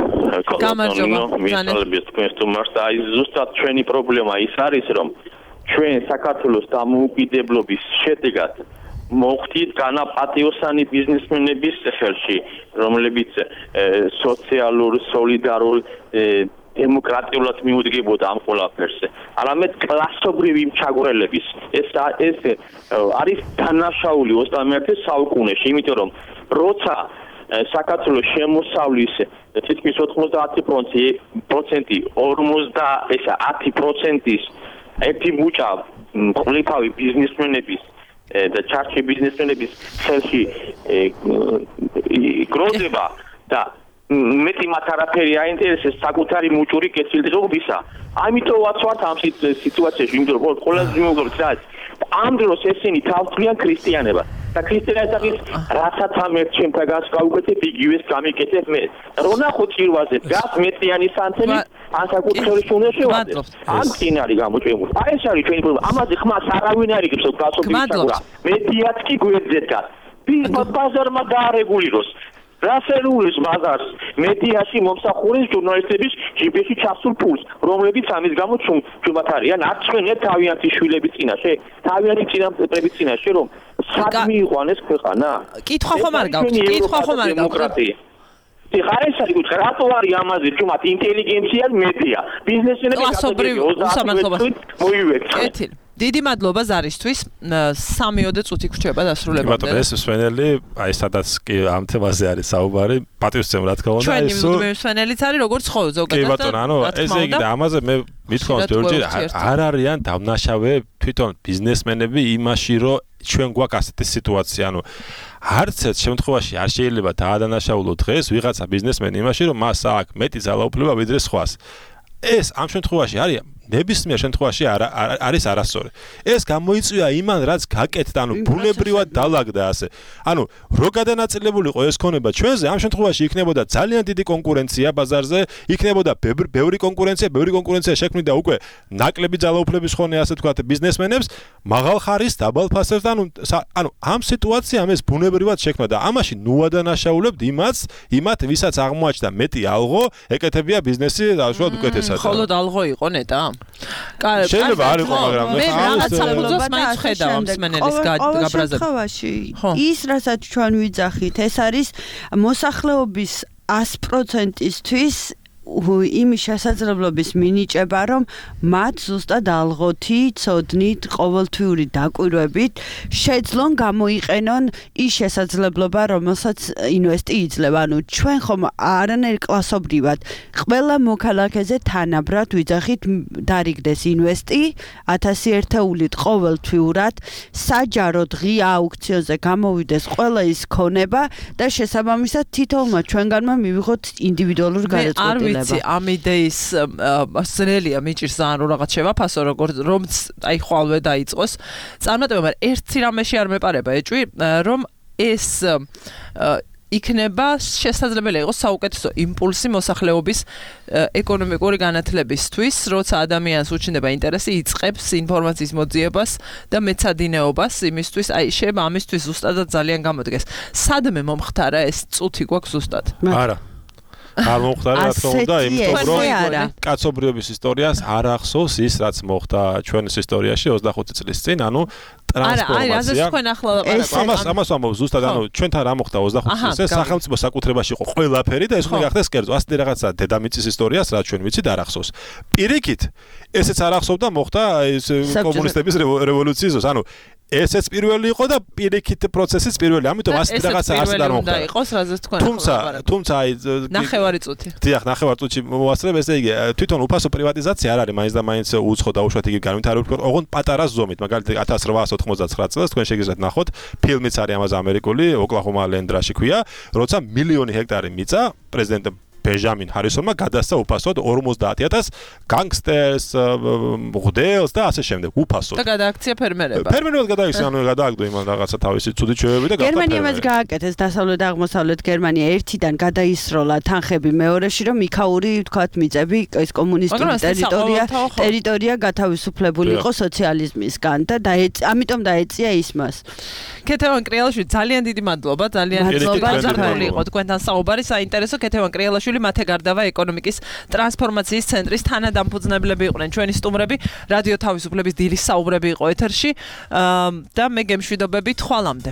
მისალების თქვენს თუმარს და აი ზუსტად ჩვენი პრობლემა ის არის რომ ჩვენ საქართველოს დამოუკიდებლობის შედეგად მოხდით განაპატიოსანი ბიზნესმენების ხელში, რომლებიც სოციალურ, სოლიდარულ დემოკრატიულად მიუდგებოდა ამ ყველაფერზე. არამედ კლასობრივი მჩაგვრელების ეს არის დანაშაული 21 საუკუნეში, იმიტომ რომ როცა საქართველოს შემოსავლის თითქმის 90%-ის ერთი მუჭა ყლიფავი ბიზნესმენების და ჩარჩი ბიზნესმენების ხელში გროვდება და მეტი მათ არაფერი აინტერესებს საკუთარი მუჭური კეთილდღეობისა. ამიტომ ვაცვართ ამ სიტუაციაში, იმიტომ რომ ყველაზე მეუღლეს რაც ამ დროს ესენი თავთვლიან ქრისტიანებას. და ქრისტიანების რასაც ამ ერთ შემთაგანს გავუკეთებ იგივეს გამიკეთებ მე. რო ნახო წირვაზე გას მეტიანი სანთელი ან საკუთრების უნდა შევადე. ამ წინარი გამოჭემული. აი ეს არის ჩვენი პრობლემა. ამაზე ხმას არავინ არ იგებს გასოფისაგურა. მეტიაც კი გვერდზეც გას. ბაზარმა დაარეგულიროს. რასერულის ბაზარს მედიაში მომსახურეს ჟურნალისტების ჯიბეში ჩასულ ფულს, რომლებიც ამის გამო ჩვენთ არიან არჩევნებ თავიანთი შვილების წინაშე, თავიანთი წინაპრების წინაშე, რომ სად მიიყვანეს ქვეყანა? კითხვა ხომ არ გაქვს? კითხვა ხომ არ გაქვს? ხარეს არის გითხრა რატო არის ამაზე ჩვენთ ინტელიგენცია მედია ბიზნესმენები კლასობრივ უსამართლობას მოივექცე კეთილი დიდი მადლობა ზარისთვის 3-4 წუთი გრჩება დასრულებამდე ბატონო ეს მსვენელი აი სადაც კი ამ თემაზე არის საუბარი პატივისცემ რა თქმა უნდა ეს მსვენელიც არის როგორც ხო ზოგადად კი ბატონო ანუ ესე იგი და ამაზე მე მithქვამს ბევრჯერ არ არიან დამნაშავე თვითონ ბიზნესმენები იმაში რომ ჩვენ გვაქვს ასეთი სიტუაცია ანუ არც ერთ შემთხვევაში არ შეიძლება დაადანაშაულო დღეს ვიღაცა ბიზნესმენი იმაში რომ მას აქვს მეტი ძალაუფლება ვიდრე სხვას ეს ამ შემთხვევაში არის ნებისმიერ შემთხვევაში არის არასწორი. ეს გამოიწვია იმან, რაც გაკეთდა, ანუ ბუნებრივად დაალაგდა ასე. ანუ რო გადანაწილებულიყო ეს ქონება ჩვენზე, ამ შემთხვევაში იქნებოდა ძალიან დიდი კონკურენცია ბაზარზე, იქნებოდა ბევრი კონკურენცია შექმნიდა უკვე ნაკლები ძალაუფლების ხონე ასე თქვათ ბიზნესმენებს, მაღალ ხარის დაბალ ფასებს, ანუ ამ სიტუაციამ ეს ბუნებრივად შექმნა და ამაში ნუადანაშაულებთ იმათ, ვისაც აღმოაჩნდა მეტი ალღო, ეკეთებია ბიზნესი დაუშვათ უკეთესად. მხოლოდ ალღო იყო ნეტა? შეიძლება არ იყო მაგრამ მე რაღაც საფუძვლს მაინც ხედავ ამ მსმენელის გაბრაზებში ის რასაც ჩვენ ვიძახით ეს არის მოსახლეობის 100%-ისთვის იმის შესაძლებლობის მინიჭება, რომ მათ ზუსტად ალღოთი, ცოდნით, ყოველთვიური დაკვირვებით შეძლონ გამოიყენონ ის შესაძლებლობა, რომელსაც ინვესტი იძლევა. ანუ ჩვენ ხომ არანაირ კლასობრივად ყველა მოქალაქეზე თანაბრად ვიძახით დარიგდეს ინვესტი 1000 ერთეულით ყოველთვიურად, საჯაროდ ღია აუქციონზე გამოვიდეს ყველა ის ქონება და შესაბამისად თითოეულმა ჩვენგანმა მივიღოთ ინდივიდუალური გადაწყვეტილება. ამ იდეის ზრელია მიჭირს ძალიან რომ რაღაც შევაფასო როგორც რომც აი ხვალვე დაიწყოს წარმატება, მაგრამ ერთი რამეში არ მეპარება ეჭვი რომ ეს იქნება შესაძლებელი იყოს საუკეთესო იმპულსი მოსახლეობის ეკონომიკური განათლებისთვის, როცა ადამიანს უჩნდება ინტერესი, იწყებს ინფორმაციის მოძიებას და მეცადინეობას იმისთვის, აი შეიძლება ამისთვის ზუსტადად ძალიან გამოდგეს. სადმე მომხდარა ეს წუთი გვაქვს ზუსტად? არა. არ მომხდარა რა თქმა უნდა, იმიტომ რომ კაცობრიობის ისტორიას არ ახსოვს ის, რაც მოხდა ჩვენს ისტორიაში 25 წლის წინ, ანუ ტრანსფორმაცია. ამას ამბობ ზუსტად, ანუ ჩვენთან რა მოხდა 25 წლის წინ, სახელმწიფო საკუთრებაში იყო ყველაფერი და ეს უნდა გახდეს კერძო. ასეთი რაღაცა დედამიწის ისტორიას, რაც ჩვენ ვიცით, არ ახსოვს. პირიქით, ესეც არ ახსოვდა მოხდა ეს კომუნისტების რევოლუციის დროს, ანუ ესეც პირველი იყო და პირიქით პროცესიც პირველი. ამიტომ ასეთი რაღაცა არსად არ მოხდა. თუმცა აი ნახევარი წუთი. დიახ, ნახევარი წუთი მოასწრებ, ესე იგი თვითონ უფასო პრივატიზაცია არ არის, მაინც და მაინც უცხო და უშუალოდ იგი განვითარებული იყო, ოღონდ პატარა ზომით. მაგალითად 1899 წელს თქვენ შეგიძლიათ ნახოთ, ფილმიც არის ამაზე ამერიკული, ოკლაჰომა ლენდრაში ქვია, როცა მილიონი ჰექტარი მიწა პრეზიდენტ ბენჟამინ ჰარისონმა გადასცა უფასოდ 50000 განგსტერს, მღვდელს და ასე შემდეგ უფასოდ. და გადააქცია ფერმერებმა. ფერმერებმა გადაიქცია, ანუ გადააგდო იმან რაღაცა თავისი ცუდი ჩვევები და გერმანიამაც გააკეთეს დასავლეთ და აღმოსავლეთ გერმანია ერთიდან გადაისროლა თანხები მეორეში, რომ იქაური ვთქვათ მიწები ეს კომუნისტური ტერიტორია გათავისუფლებული იყო სოციალიზმისგან და ამიტომ დაეწია ისმას. ქეთევან კრიალაშვილი ძალიან დიდი მადლობა, ძალიან მადლობა იყო თქვენთან საუბარი, საინტერესო. ქეთევან კრიალაშვილი მათე გარდავა ეკონომიკის ტრანსფორმაციის ცენტრის თანადამფუძნებლები იყვნენ ჩვენი სტუმრები, რადიო თავისუფლების დილის საუბრები იყო ეთერში და მე გემშვიდობებით ხვალამდე.